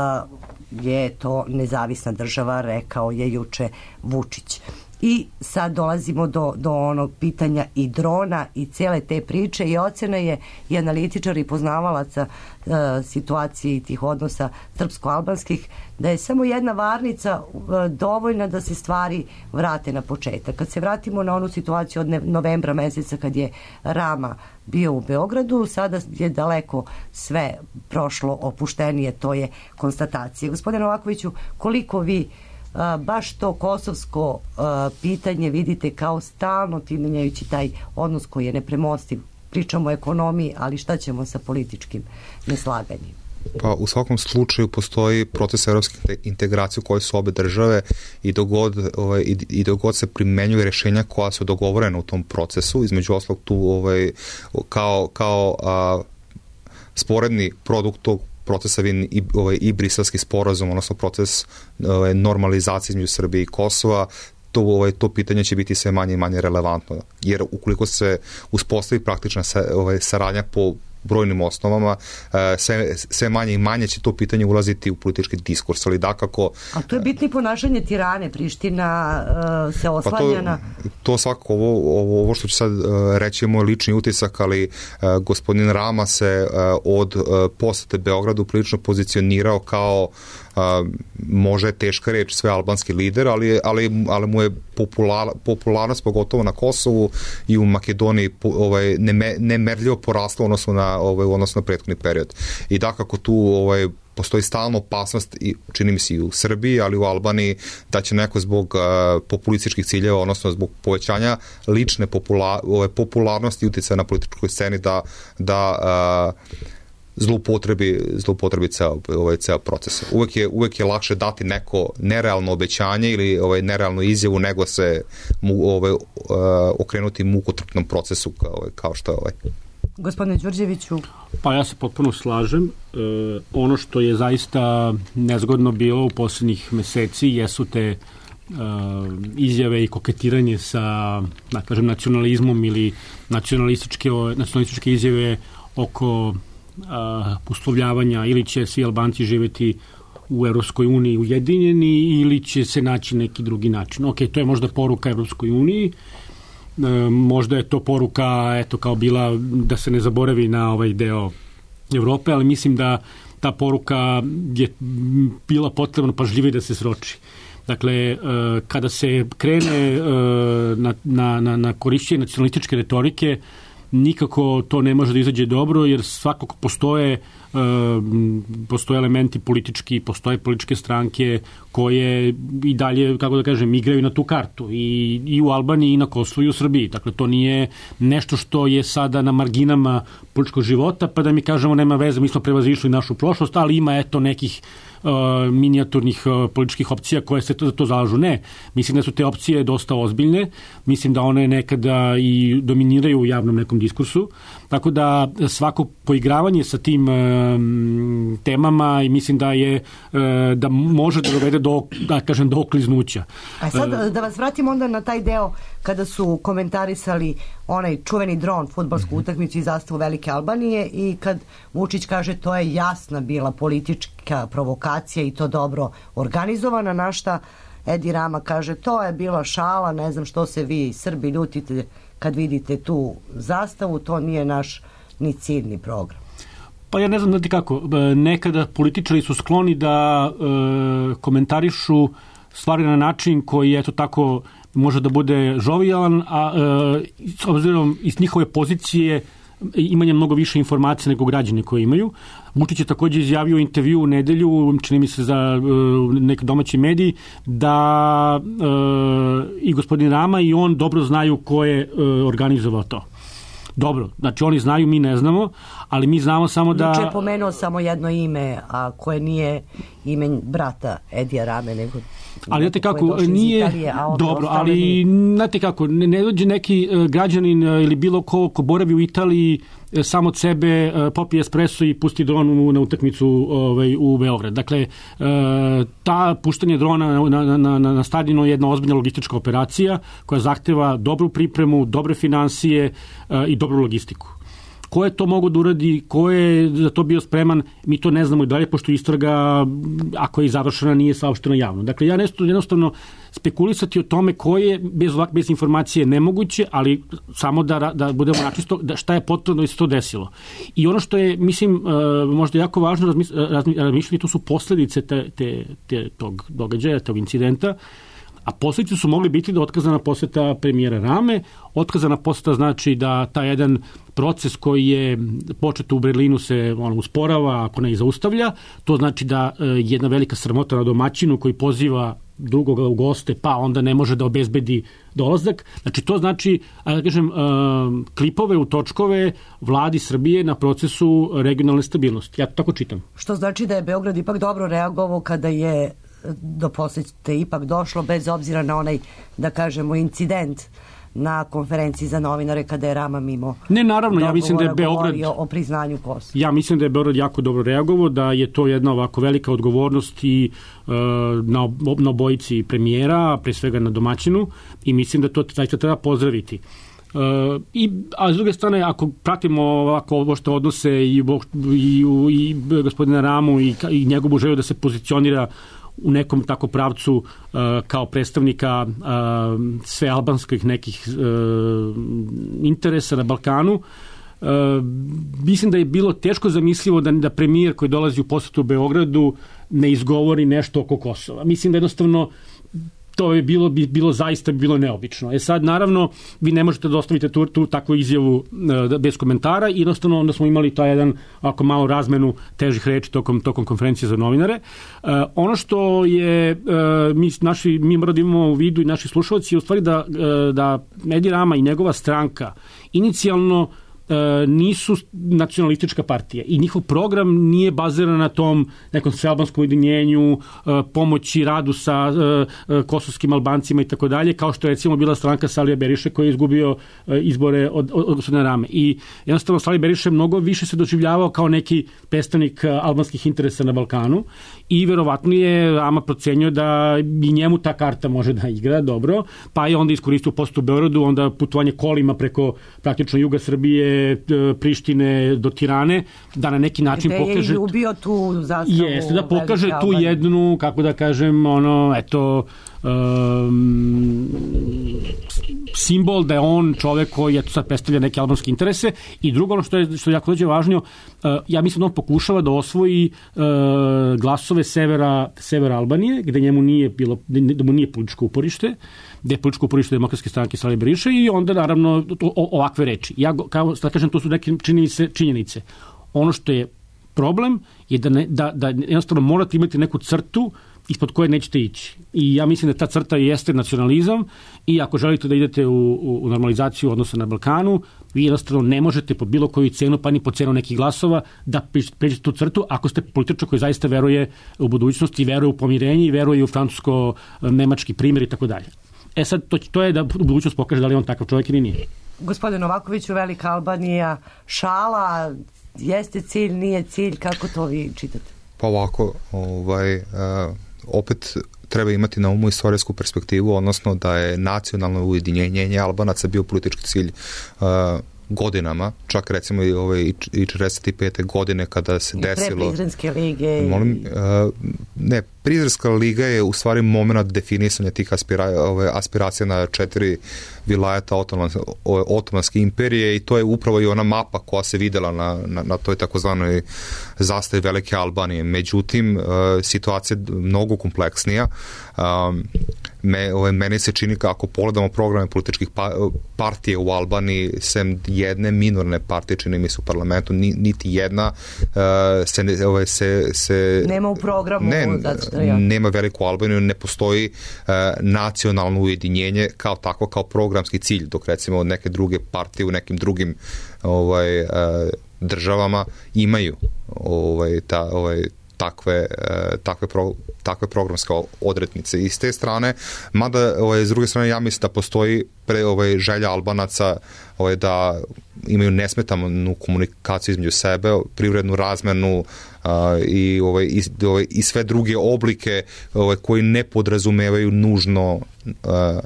je to nezavisna država, rekao je juče Vučić. I sad dolazimo do, do onog pitanja i drona i cele te priče, i ocena je i analitičara i poznavalaca e, situacije i tih odnosa srpsko-albanskih, da je samo jedna varnica e, dovoljna da se stvari vrate na početak. Kad se vratimo na onu situaciju od novembra meseca kad je Rama bio u Beogradu, sada je daleko sve prošlo opuštenije, to je konstatacija. Gospodine Novakoviću, koliko vi A, baš to kosovsko a, pitanje vidite kao stalno timenjajući taj odnos koji je nepremostiv? Pričamo o ekonomiji, ali šta ćemo sa političkim neslaganjem? Pa u svakom slučaju postoji proces evropske integracije u kojoj su obe države i dogod, ovaj, i, i dogod se primenjuju rešenja koja su dogovorena u tom procesu, između oslog tu ovaj, kao, kao a, sporedni produkt tog procesa i, ovaj, i briselski sporazum, odnosno proces ovaj, normalizacije između Srbije i Kosova, to, ovaj, to pitanje će biti sve manje i manje relevantno. Jer ukoliko se uspostavi praktična sa, ovaj, saradnja po brojnim osnovama, sve, sve manje i manje će to pitanje ulaziti u politički diskurs, ali dakako... A to je bitno i ponašanje Tirane, Priština uh, se oslanja pa na... To, to svakako, ovo, ovo, ovo što ću sad uh, reći je moj lični utisak, ali uh, gospodin Rama se uh, od uh, posete Beogradu prilično pozicionirao kao Uh, može je teška reč, sve albanski lider, ali, ali, ali mu je popular, popularnost pogotovo na Kosovu i u Makedoniji ovaj, neme, nemerljivo porasla odnosno na, ovaj, odnosno na prethodni period. I dakako tu ovaj, postoji stalna opasnost, i čini mi se i u Srbiji, ali u Albaniji, da će neko zbog uh, populističkih ciljeva, odnosno zbog povećanja lične popula, ovaj, popularnosti i utjecaja na političkoj sceni da, da uh, zloupotrebi, zloupotrebi ceo, ovaj, ceo proces. Uvek je, uvek je lakše dati neko nerealno obećanje ili ovaj, nerealnu izjavu nego se mu, ovaj, uh, okrenuti mukotrpnom procesu kao, ovaj, kao što je ovaj. Gospodine Đurđeviću. Pa ja se potpuno slažem. E, ono što je zaista nezgodno bilo u poslednjih meseci jesu te Uh, izjave i koketiranje sa, da kažem, nacionalizmom ili nacionalističke, nacionalističke izjave oko uh, uslovljavanja ili će svi Albanci živeti u Evropskoj uniji ujedinjeni ili će se naći neki drugi način. Ok, to je možda poruka Evropskoj uniji, uh, možda je to poruka, eto, kao bila da se ne zaboravi na ovaj deo Evrope, ali mislim da ta poruka je bila potrebno pažljivije da se sroči. Dakle, kada se krene na, na, na korišćenje nacionalističke retorike, nikako to ne može da izađe dobro, jer svakako postoje, postoje elementi politički, postoje političke stranke koje i dalje, kako da kažem, igraju na tu kartu i, i u Albaniji i na Kosovu i u Srbiji. Dakle, to nije nešto što je sada na marginama političkog života, pa da mi kažemo nema veze, mi smo prevazišli našu prošlost, ali ima eto nekih Uh, minijaturnih uh, političkih opcija koje se to, za to zalažu. Ne. Mislim da su te opcije dosta ozbiljne. Mislim da one nekada i dominiraju u javnom nekom diskursu. Tako da svako poigravanje sa tim uh, temama i mislim da je uh, da može da dovede do, da kažem, do okliznuća. A sad da vas vratim onda na taj deo kada su komentarisali onaj čuveni dron, fudbalsku utakmicu i zastavu Velike Albanije i kad Vučić kaže to je jasna bila politička provokacija i to dobro organizovana, na šta Edi Rama kaže to je bila šala, ne znam što se vi Srbi ljutite kad vidite tu zastavu, to nije naš ni cilj ni program. Pa ja ne znam znate kako, nekada političari su skloni da e, komentarišu stvari na način koji je to tako može da bude žovijalan, a e, s obzirom iz njihove pozicije imanje mnogo više informacija nego građani koji imaju. Vučić je također izjavio u intervju u nedelju, čini mi se za e, neki domaći mediji, da e, i gospodin Rama i on dobro znaju ko je e, organizovao to. Dobro, znači oni znaju, mi ne znamo, ali mi znamo samo da... Juče je pomenuo samo jedno ime, a koje nije ime brata Edija Rame, nego... Ali znate kako, nije Italije, dobro, ali znate kako, ne, ne dođe neki uh, građanin uh, ili bilo ko ko boravi u Italiji uh, samo od sebe uh, popije espresso i pusti dron na utakmicu ovaj, u Beograd. Dakle, uh, ta puštanje drona na, na, na, na stadionu je jedna ozbiljna logistička operacija koja zahteva dobru pripremu, dobre finansije uh, i dobru logistiku. Ko je to mogo da uradi, ko je za to bio spreman, mi to ne znamo i dalje, pošto istraga, ako je završena, nije saopštena javno. Dakle, ja nešto jednostavno spekulisati o tome ko je bez, bez informacije nemoguće, ali samo da, da budemo načisto da šta je potrebno da se to desilo. I ono što je, mislim, možda jako važno razmišljati, to su posledice te, te, te, tog događaja, tog incidenta, a posledice su mogli biti da otkazana poseta premijera Rame. Otkazana poseta znači da taj jedan proces koji je počet u Berlinu se ono, usporava, ako ne i zaustavlja. To znači da e, jedna velika sramota na domaćinu koji poziva drugoga u goste, pa onda ne može da obezbedi dolazak. Znači to znači, da kažem, e, klipove u točkove vladi Srbije na procesu regionalne stabilnosti. Ja to tako čitam. Što znači da je Beograd ipak dobro reagovao kada je do posete ipak došlo, bez obzira na onaj, da kažemo, incident na konferenciji za novinare kada je Rama mimo ne, naravno, ja mislim da je Beograd o priznanju Kosova. Ja mislim da je Beograd jako dobro reagovao, da je to jedna ovako velika odgovornost i uh, na, na obojici premijera, pre svega na domaćinu, i mislim da to zaista treba pozdraviti. Uh, i, a s druge strane, ako pratimo ovako ovo što odnose i, i, i, i gospodina Ramu i, i njegovu želju da se pozicionira u nekom tako pravcu uh, kao predstavnika uh, sve albanskih nekih uh, interesa na Balkanu, uh, mislim da je bilo teško zamislivo da, da premijer koji dolazi u posetu u Beogradu ne izgovori nešto oko Kosova. Mislim da jednostavno to je bilo, bi bilo zaista bi bilo neobično. E sad, naravno, vi ne možete da ostavite tu, tu takvu izjavu uh, bez komentara i jednostavno onda smo imali taj jedan ako malo razmenu težih reči tokom, tokom konferencije za novinare. Uh, ono što je uh, mi, naši, mi moramo da imamo u vidu i naši slušalci je u stvari da, uh, da Edi Rama i njegova stranka inicijalno nisu nacionalistička partija i njihov program nije baziran na tom nekom svealbanskom ujedinjenju, pomoći radu sa kosovskim Albancima i tako dalje, kao što je recimo bila stranka Salija Beriše koji je izgubio izbore od, od gospodina Rame. I jednostavno Salija Beriše mnogo više se doživljavao kao neki predstavnik albanskih interesa na Balkanu i verovatno je Rama procenio da i njemu ta karta može da igra dobro, pa je onda iskoristio post u Beogradu, onda putovanje kolima preko praktično juga Srbije, Prištine do Tirane, da na neki način pokaže... Gde je ljubio tu zastavu... Jeste, da pokaže tu jednu, kako da kažem, ono, eto, um, simbol da je on čovek koji je sad predstavlja neke albanske interese. I drugo, ono što je, što je jako dođe važnije, uh, ja mislim da on pokušava da osvoji uh, glasove severa, severa Albanije, gde njemu nije bilo, da mu nije političko uporište, gde je političko uporište demokratske stranke Salije Beriše i onda naravno to, o, ovakve reči. Ja, kao da kažem, to su neke činjenice, činjenice. Ono što je problem je da, ne, da, da jednostavno morate imati neku crtu ispod koje nećete ići. I ja mislim da ta crta jeste nacionalizam i ako želite da idete u, u, u normalizaciju odnosa na Balkanu, vi jednostavno ne možete po bilo koju cenu, pa ni po cenu nekih glasova, da pređete tu crtu ako ste političar koji zaista veruje u budućnosti, veruje u pomirenje i veruje u francusko-nemački primjer i tako dalje. E sad, to, to je da budućnost pokaže da li on takav čovjek ili nije. Gospodin Novakoviću, Velika Albanija, šala, jeste cilj, nije cilj, kako to vi čitate? Pa ovako, ovaj, uh, opet treba imati na umu istorijsku perspektivu, odnosno da je nacionalno ujedinjenje Albanaca bio politički cilj uh, godinama, čak recimo i ove i četrdeset pete godine kada se I desilo... I pre Prizrenske lige. Molim, uh, ne, Prizrenska liga je u stvari moment definisanja tih aspira, ove, aspiracija na četiri vilajeta Otomanske, Otomanske imperije i to je upravo i ona mapa koja se videla na, na, na toj takozvanoj zastavi Velike Albanije. Međutim, uh, situacija je mnogo kompleksnija. Um, me, ove, meni se čini kako pogledamo programe političkih pa, partije u Albaniji, sem jedne minorne partije, čini mi se u parlamentu, ni, niti jedna uh, se, ne, ove, se, se... Nema u programu. Ne, ja. nema Veliku Albaniju, ne postoji uh, nacionalno ujedinjenje kao tako, kao programski cilj, dok recimo neke druge partije u nekim drugim ovaj, uh, državama imaju ovaj, ta, ovaj, takve, takve, pro, takve programske odrednice. I s te strane, mada ovaj, s druge strane ja mislim da postoji pre, ovaj, želja Albanaca ovaj, da imaju nesmetanu komunikaciju između sebe, privrednu razmenu uh, i, ovaj, i, ovaj, i sve druge oblike ovaj, koji ne podrazumevaju nužno uh,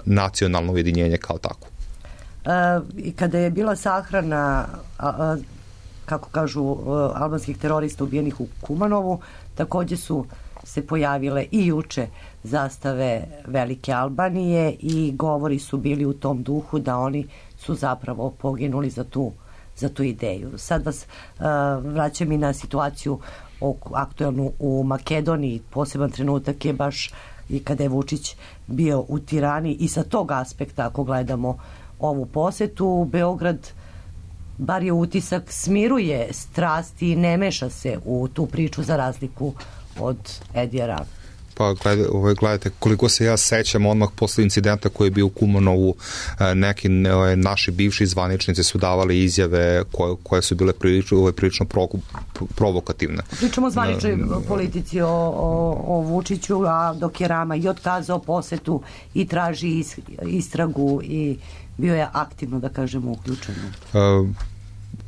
nacionalno ujedinjenje kao tako. Uh, I kada je bila sahrana a, a, kako kažu uh, albanskih terorista ubijenih u Kumanovu, takođe su se pojavile i juče zastave Velike Albanije i govori su bili u tom duhu da oni su zapravo poginuli za tu, za tu ideju. Sad vas uh, vraćam i na situaciju aktuelnu u Makedoniji. Poseban trenutak je baš i kada je Vučić bio u Tirani i sa tog aspekta, ako gledamo ovu posetu, Beograd bar je utisak, smiruje strasti i ne meša se u tu priču za razliku od Edija Rame. Pa gledajte, gledajte, koliko se ja sećam odmah posle incidenta koji je bio u Kumanovu, neki ne, naši bivši zvaničnici su davali izjave koje, koje su bile prilično, prilično pro, provokativne. Pričamo o zvaničnoj politici o, o, o Vučiću, a dok je Rama i otkazao posetu i traži is, istragu i bio je aktivno, da kažemo, uključen. Uh,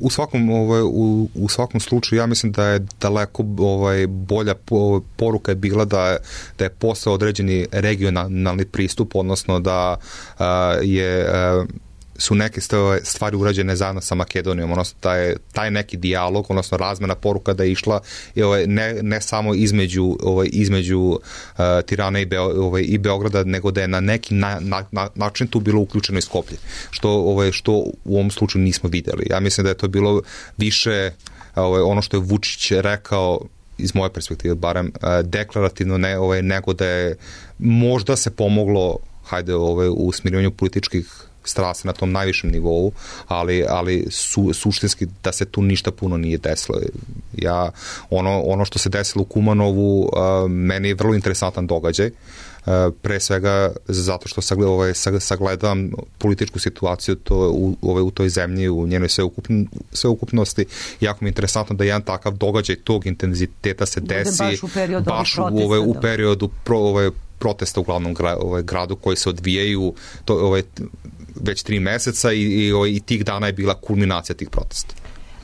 U svakom, ovaj, u, u svakom slučaju ja mislim da je daleko ovaj, bolja poruka je bila da, da je postao određeni regionalni pristup, odnosno da uh, je uh, su neke stvari urađene zajedno sa Makedonijom, odnosno taj, taj neki dijalog, odnosno razmena poruka da je išla ovaj, ne, ne samo između, ovaj, između uh, Tirane i, Beo, ovaj, i Beograda, nego da je na neki na, na, na, način tu bilo uključeno i Skoplje, što, ovaj, što u ovom slučaju nismo videli. Ja mislim da je to bilo više ovaj, ono što je Vučić rekao, iz moje perspektive barem, uh, deklarativno ne, ovaj, nego da je možda se pomoglo hajde ovaj, u smirivanju političkih strasti na tom najvišem nivou, ali, ali su, suštinski da se tu ništa puno nije desilo. Ja, ono, ono što se desilo u Kumanovu, uh, meni je vrlo interesantan događaj, pre svega zato što sagledam, ovaj, sagledam političku situaciju to, u, ovaj, u toj zemlji, u njenoj sveukupn, sveukupnosti. Jako mi je interesantno da jedan takav događaj tog intenziteta se desi baš u periodu, baš u, ovaj, u periodu pro, ovaj, protesta u glavnom gra, ovaj, gradu koji se odvijaju to, ovaj, već tri meseca i, i, ovaj, i tih dana je bila kulminacija tih protesta.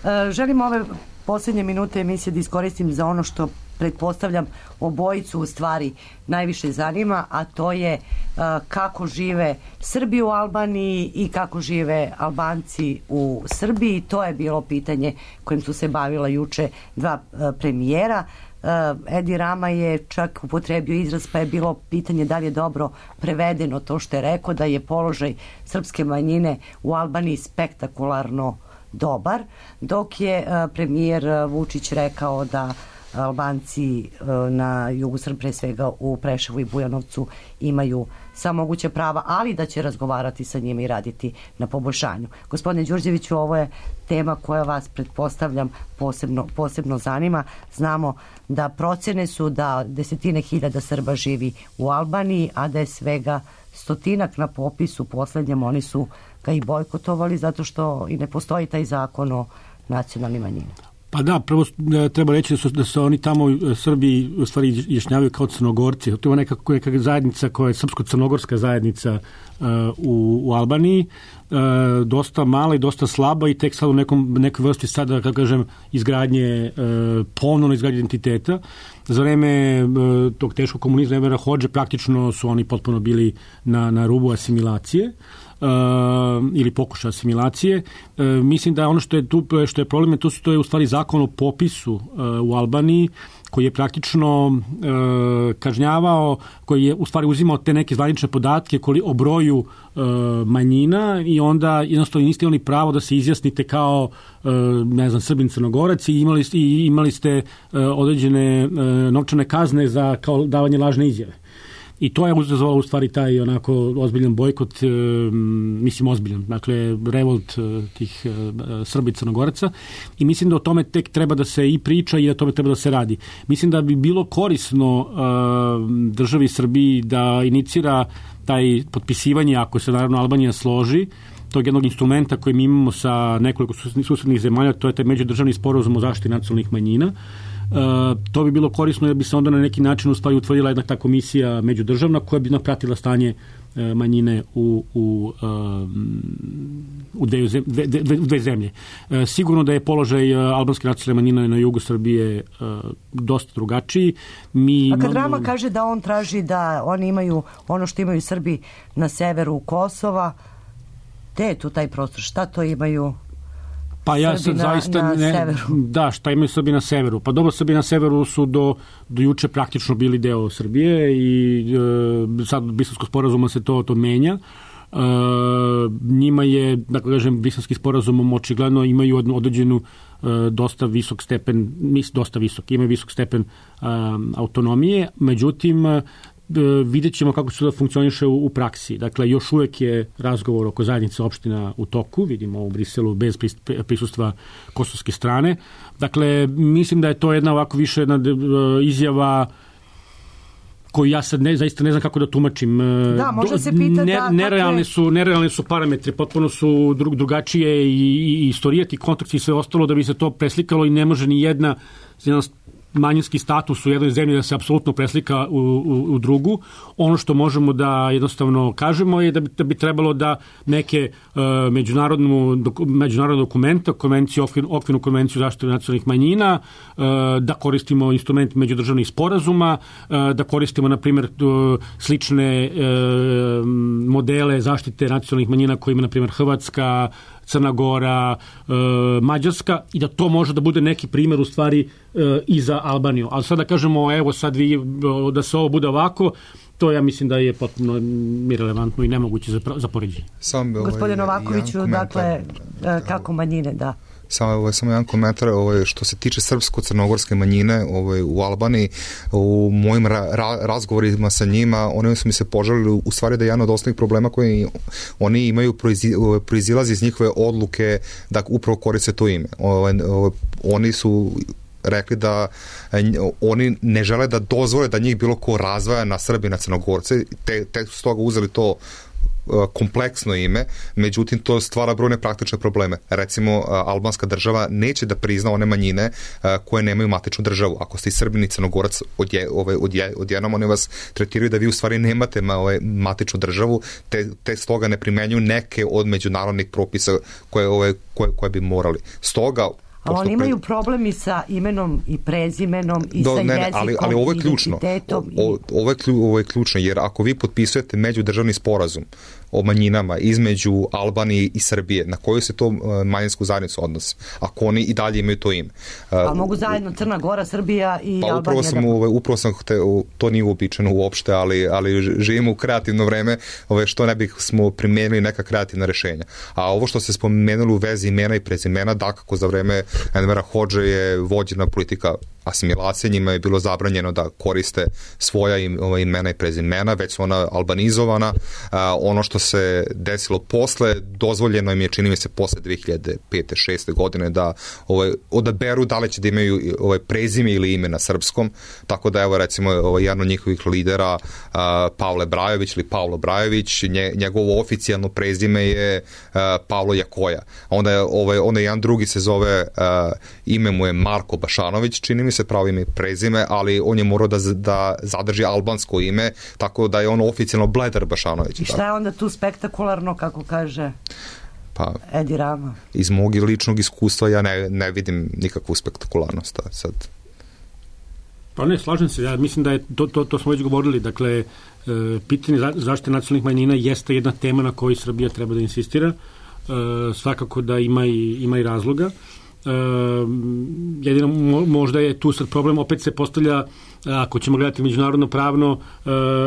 E, želim ove posljednje minute emisije da iskoristim za ono što pretpostavljam obojicu u stvari najviše zanima, a to je uh, kako žive Srbi u Albaniji i kako žive Albanci u Srbiji. To je bilo pitanje kojim su se bavila juče dva uh, premijera. Uh, Edi Rama je čak upotrebio izraz, pa je bilo pitanje da li je dobro prevedeno to što je rekao, da je položaj srpske manjine u Albaniji spektakularno dobar, dok je uh, premijer Vučić rekao da Albanci na jugu Srbije, pre svega u Preševu i Bujanovcu, imaju sva moguća prava, ali da će razgovarati sa njima i raditi na poboljšanju. Gospodine Đurđeviću, ovo je tema koja vas, pretpostavljam, posebno, posebno zanima. Znamo da procene su da desetine hiljada Srba živi u Albaniji, a da je svega stotinak na popisu poslednjem. Oni su ga i bojkotovali zato što i ne postoji taj zakon o nacionalnim manjinama. Pa da, prvo treba reći da su, da su oni tamo Srbi u stvari izjašnjavaju kao Crnogorci. To je neka, neka zajednica koja je srpsko-crnogorska zajednica uh, u, u Albaniji, uh, dosta mala i dosta slaba i tek sad u nekom, nekoj vrsti sada, kako kažem, izgradnje, uh, ponovno izgradnje identiteta. Za vreme uh, tog teškog komunizma Envera Hodže praktično su oni potpuno bili na, na rubu asimilacije. Uh, ili pokušaj asimilacije. Uh, mislim da ono što je tu što je problem, to, su, to je u stvari zakon o popisu uh, u Albaniji, koji je praktično uh, kažnjavao, koji je u stvari uzimao te neke zvanične podatke koli, o broju uh, manjina i onda jednostavno niste imali pravo da se izjasnite kao uh, ne znam, Srbin, Crnogorac i imali, i imali ste uh, određene uh, novčane kazne za kao davanje lažne izjave. I to je uzazvalo u stvari taj onako ozbiljan bojkot, e, mislim ozbiljan, dakle revolt e, tih e, Srba i Crnogoraca i mislim da o tome tek treba da se i priča i da tome treba da se radi. Mislim da bi bilo korisno e, državi Srbiji da inicira taj potpisivanje, ako se naravno Albanija složi, tog jednog instrumenta koji mi imamo sa nekoliko susednih zemalja, to je taj međudržavni sporazum o zaštiti nacionalnih manjina. Uh, to bi bilo korisno jer bi se onda na neki način u stvari utvrdila jedna ta komisija međudržavna koja bi napratila stanje uh, manjine u, u, uh, u dve, dve, dve, dve zemlje. Uh, sigurno da je položaj uh, albanske nacionalne manjine na jugu Srbije uh, dosta drugačiji. Mi A kad imamo... Rama kaže da on traži da oni imaju ono što imaju Srbi na severu Kosova, gde je tu taj prostor? Šta to imaju? Pa ja sad zaista na ne, severu. Da, šta imaju Srbi na severu? Pa dobro, Srbi na severu su do, do juče praktično bili deo Srbije i e, sad od Briselskog sporazuma se to, to menja. E, njima je, dakle kažem, Briselskim sporazumom očigledno imaju određenu e, dosta visok stepen, mis, dosta visok, imaju visok stepen e, autonomije, međutim vidjet ćemo kako će da funkcioniše u, u praksi. Dakle, još uvek je razgovor oko zajednice opština u toku, vidimo u Briselu bez prisustva kosovske strane. Dakle, mislim da je to jedna ovako više jedna izjava koju ja sad ne, zaista ne znam kako da tumačim. Da, može se pitati ne, da... Nerealni su, nerealni su parametri, potpuno su dru, drugačije i, i istorijati, kontekst i sve ostalo da bi se to preslikalo i ne može ni jedna, jedna manjinski status u jednoj zemlji da se apsolutno preslika u, u, u drugu. Ono što možemo da jednostavno kažemo je da bi, da bi trebalo da neke uh, međunarodnu, doku, međunarodne dokumenta, konvenciju, okvir, okvirnu konvenciju zaštite nacionalnih manjina, uh, da koristimo instrument međudržavnih sporazuma, uh, da koristimo, na primjer, uh, slične uh, modele zaštite nacionalnih manjina koje ima, na primjer, Hrvatska, Crna Gora, e, Mađarska i da to može da bude neki primjer u stvari e, i za Albaniju. Ali sad da kažemo, evo sad vi, da se ovo bude ovako, to ja mislim da je potpuno irelevantno i nemoguće za, za poređenje. Gospodin Novakoviću, dakle, kako manjine, da. Samo, ovaj, samo jedan komentar, ovaj, što se tiče srpsko-crnogorske manjine ovaj, u Albaniji, u mojim ra, ra, razgovorima sa njima, oni su mi se požalili u stvari da je jedan od osnovnih problema koje oni imaju proizi, proizilazi iz njihove odluke da upravo koriste to ime. Ovaj, ovaj, oni su rekli da oni ne žele da dozvole da njih bilo ko razvaja na Srbi i na Crnogorce, te, te su toga uzeli to kompleksno ime, međutim to stvara brojne praktične probleme. Recimo, albanska država neće da prizna one manjine koje nemaju matičnu državu. Ako ste i Srbin i Crnogorac odje, ovaj, odje, odjednom, oni vas tretiraju da vi u stvari nemate ma, ovaj, matičnu državu, te, te stoga ne primenjuju neke od međunarodnih propisa koje, ovaj, koje, koje bi morali. Stoga ali oni imaju problemi sa imenom i prezimenom i Do, sa ne, ne, jezikom ali, ali ovo je i ključno. identitetom. O, o, ovo, je klju, ovo je ključno, jer ako vi potpisujete međudržavni sporazum o manjinama između Albanije i Srbije, na koju se to uh, manjinsku zajednicu odnosi, ako oni i dalje imaju to ime. Uh, a mogu zajedno Crna Gora, Srbija i pa Albanija? Upravo sam, da... ovaj, upravo sam te, to nije uobičajeno uopšte, ali, ali živimo u kreativno vreme, ovaj, što ne bih smo primijenili neka kreativna rešenja. A ovo što ste spomenuli u vezi imena i prezimena, dakako za vreme Envera Hodže je vođena politika asimilacije, njima je bilo zabranjeno da koriste svoja im, ova, imena i prezimena, već su ona albanizovana. A, ono što se desilo posle, dozvoljeno im je, čini mi se, posle dve hiljade pete šeste godine da ovaj, odaberu da li će da imaju ovaj, prezime ili ime na srpskom, tako da evo recimo ovaj, jedan od njihovih lidera a, Pavle Brajović ili Pavlo Brajović, nje, njegovo oficijalno prezime je a, Pavlo Jakoja. Onda je, ovaj, onda jedan drugi se zove, a, ime mu je Marko Bašanović, čini mi se pravo ime i prezime, ali on je morao da, da zadrži albansko ime, tako da je on oficijalno Bledar Bašanović. I šta je onda tu spektakularno, kako kaže pa, Edi Rama? Iz mog ličnog iskustva ja ne, ne vidim nikakvu spektakularnost sad. Pa ne, slažem se, ja mislim da je, to, to, to smo već govorili, dakle, e, pitanje zaštite nacionalnih manjina jeste jedna tema na kojoj Srbija treba da insistira, e, svakako da ima i, ima i razloga. Uh, jedino možda je tu sad problem, opet se postavlja, ako ćemo gledati međunarodno pravno, uh,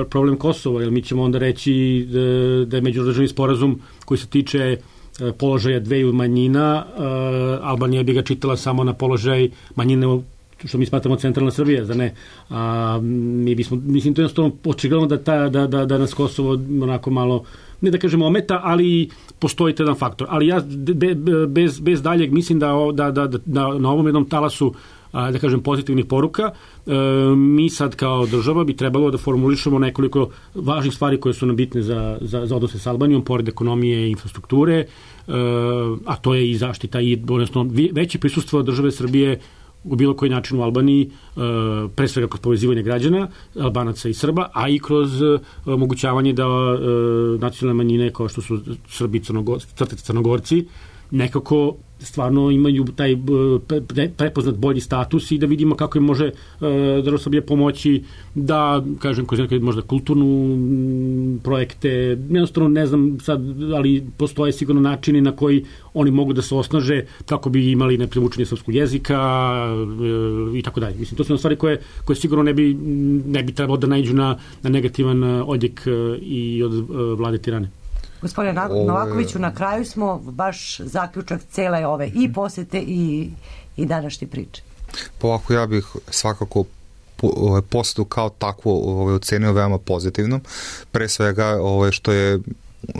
problem Kosova, jer mi ćemo onda reći da, da je međudržavni sporazum koji se tiče uh, položaja dveju manjina, uh, Albanija bi ga čitala samo na položaj manjine, što mi smatramo centralna Srbija, da ne. A, mi bismo, mislim, to je jednostavno očigledno da, ta, da, da, da nas Kosovo onako malo, ne da kažemo ometa, ali postoji jedan faktor. Ali ja be, bez, bez daljeg mislim da, da, da, da, da na ovom jednom talasu, a, da kažem, pozitivnih poruka, e, mi sad kao država bi trebalo da formulišemo nekoliko važnih stvari koje su nam bitne za, za, za odnose s Albanijom, pored ekonomije i infrastrukture, e, a to je i zaštita i odnosno veće prisustvo države Srbije u bilo koji način u Albaniji, pre svega kroz povezivanje građana, Albanaca i Srba, a i kroz omogućavanje da nacionalne manjine kao što su Srbi i Crnogorci, Crnogorci nekako stvarno imaju taj prepoznat bolji status i da vidimo kako im može država Srbije pomoći da, kažem, kroz neke možda kulturnu projekte, jednostavno ne znam sad, ali postoje sigurno načini na koji oni mogu da se osnaže kako bi imali neprimučenje srpskog jezika i tako dalje. Mislim, to su stvari koje, koje sigurno ne bi, ne bi trebalo da naiđu na, na negativan odjek i od vlade Tirane. Gospodine Novakoviću, na kraju smo baš zaključak cele ove i posete i, i današnje priče. Pa ovako, ja bih svakako posetu kao takvo ovaj, ocenio veoma pozitivnom. Pre svega ovaj, što je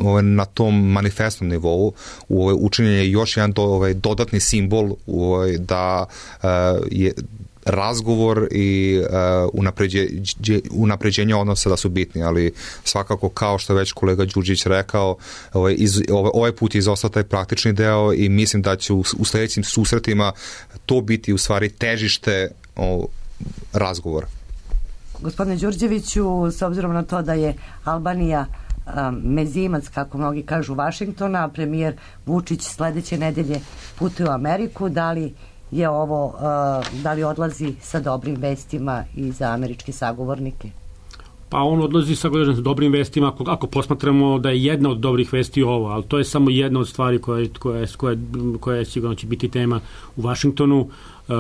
ovaj, na tom manifestnom nivou ovaj, učinjen je još jedan do, ovaj, dodatni simbol ovaj, da uh, je razgovor i uh, unapređe, unapređenje odnosa da su bitni, ali svakako kao što je već kolega Đurđić rekao, ovaj, iz, ovaj, ovaj put je izostao taj praktični deo i mislim da će u, u sledećim susretima to biti u stvari težište o, razgovora. Gospodine Đurđeviću, s obzirom na to da je Albanija um, mezimac, kako mnogi kažu, Vašingtona, premijer Vučić sledeće nedelje putuje u Ameriku, da li je ovo, uh, da li odlazi sa dobrim vestima i za američke sagovornike? Pa on odlazi sa dobrim vestima ako, ako posmatramo da je jedna od dobrih vesti ovo, ali to je samo jedna od stvari koja, koja, koja, koja sigurno će biti tema u Vašingtonu. Uh,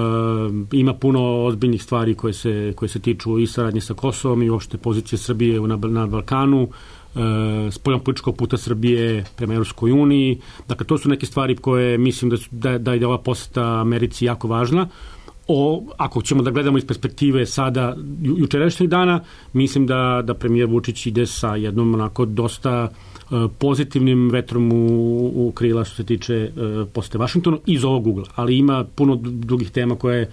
ima puno ozbiljnih stvari koje se, koje se tiču i saradnje sa Kosovom i uopšte pozicije Srbije na, na Balkanu. spoljnog političkog puta Srbije prema Europskoj uniji. Dakle, to su neke stvari koje mislim da, su, da, da je ova poseta Americi jako važna. O, ako ćemo da gledamo iz perspektive sada ju, jučerašnjih dana, mislim da, da premijer Vučić ide sa jednom onako dosta uh, pozitivnim vetrom u, u krila što se tiče uh, posete Vašingtonu iz ovog ugla. Ali ima puno drugih tema koje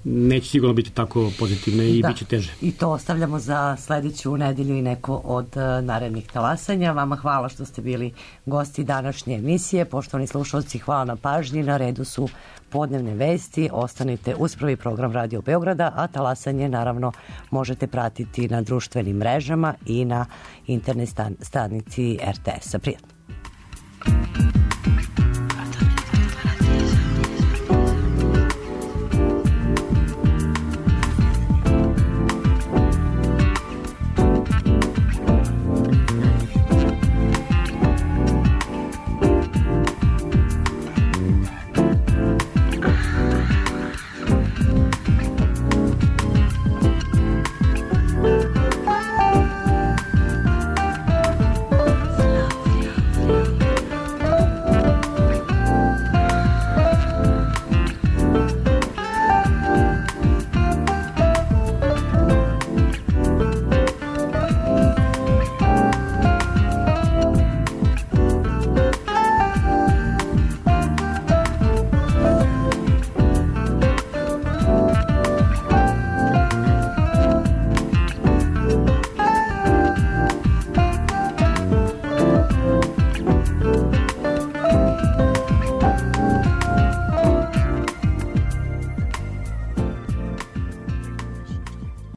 neće sigurno biti tako pozitivne i da, bit će teže. I to ostavljamo za sledeću nedelju i neko od uh, narednih talasanja. Vama hvala što ste bili gosti današnje emisije. Poštovani slušalci, hvala na pažnji. Na redu su podnevne vesti. Ostanite uz prvi program Radio Beograda, a talasanje naravno možete pratiti na društvenim mrežama i na internet stan- stanici er te es-a. Prijatno.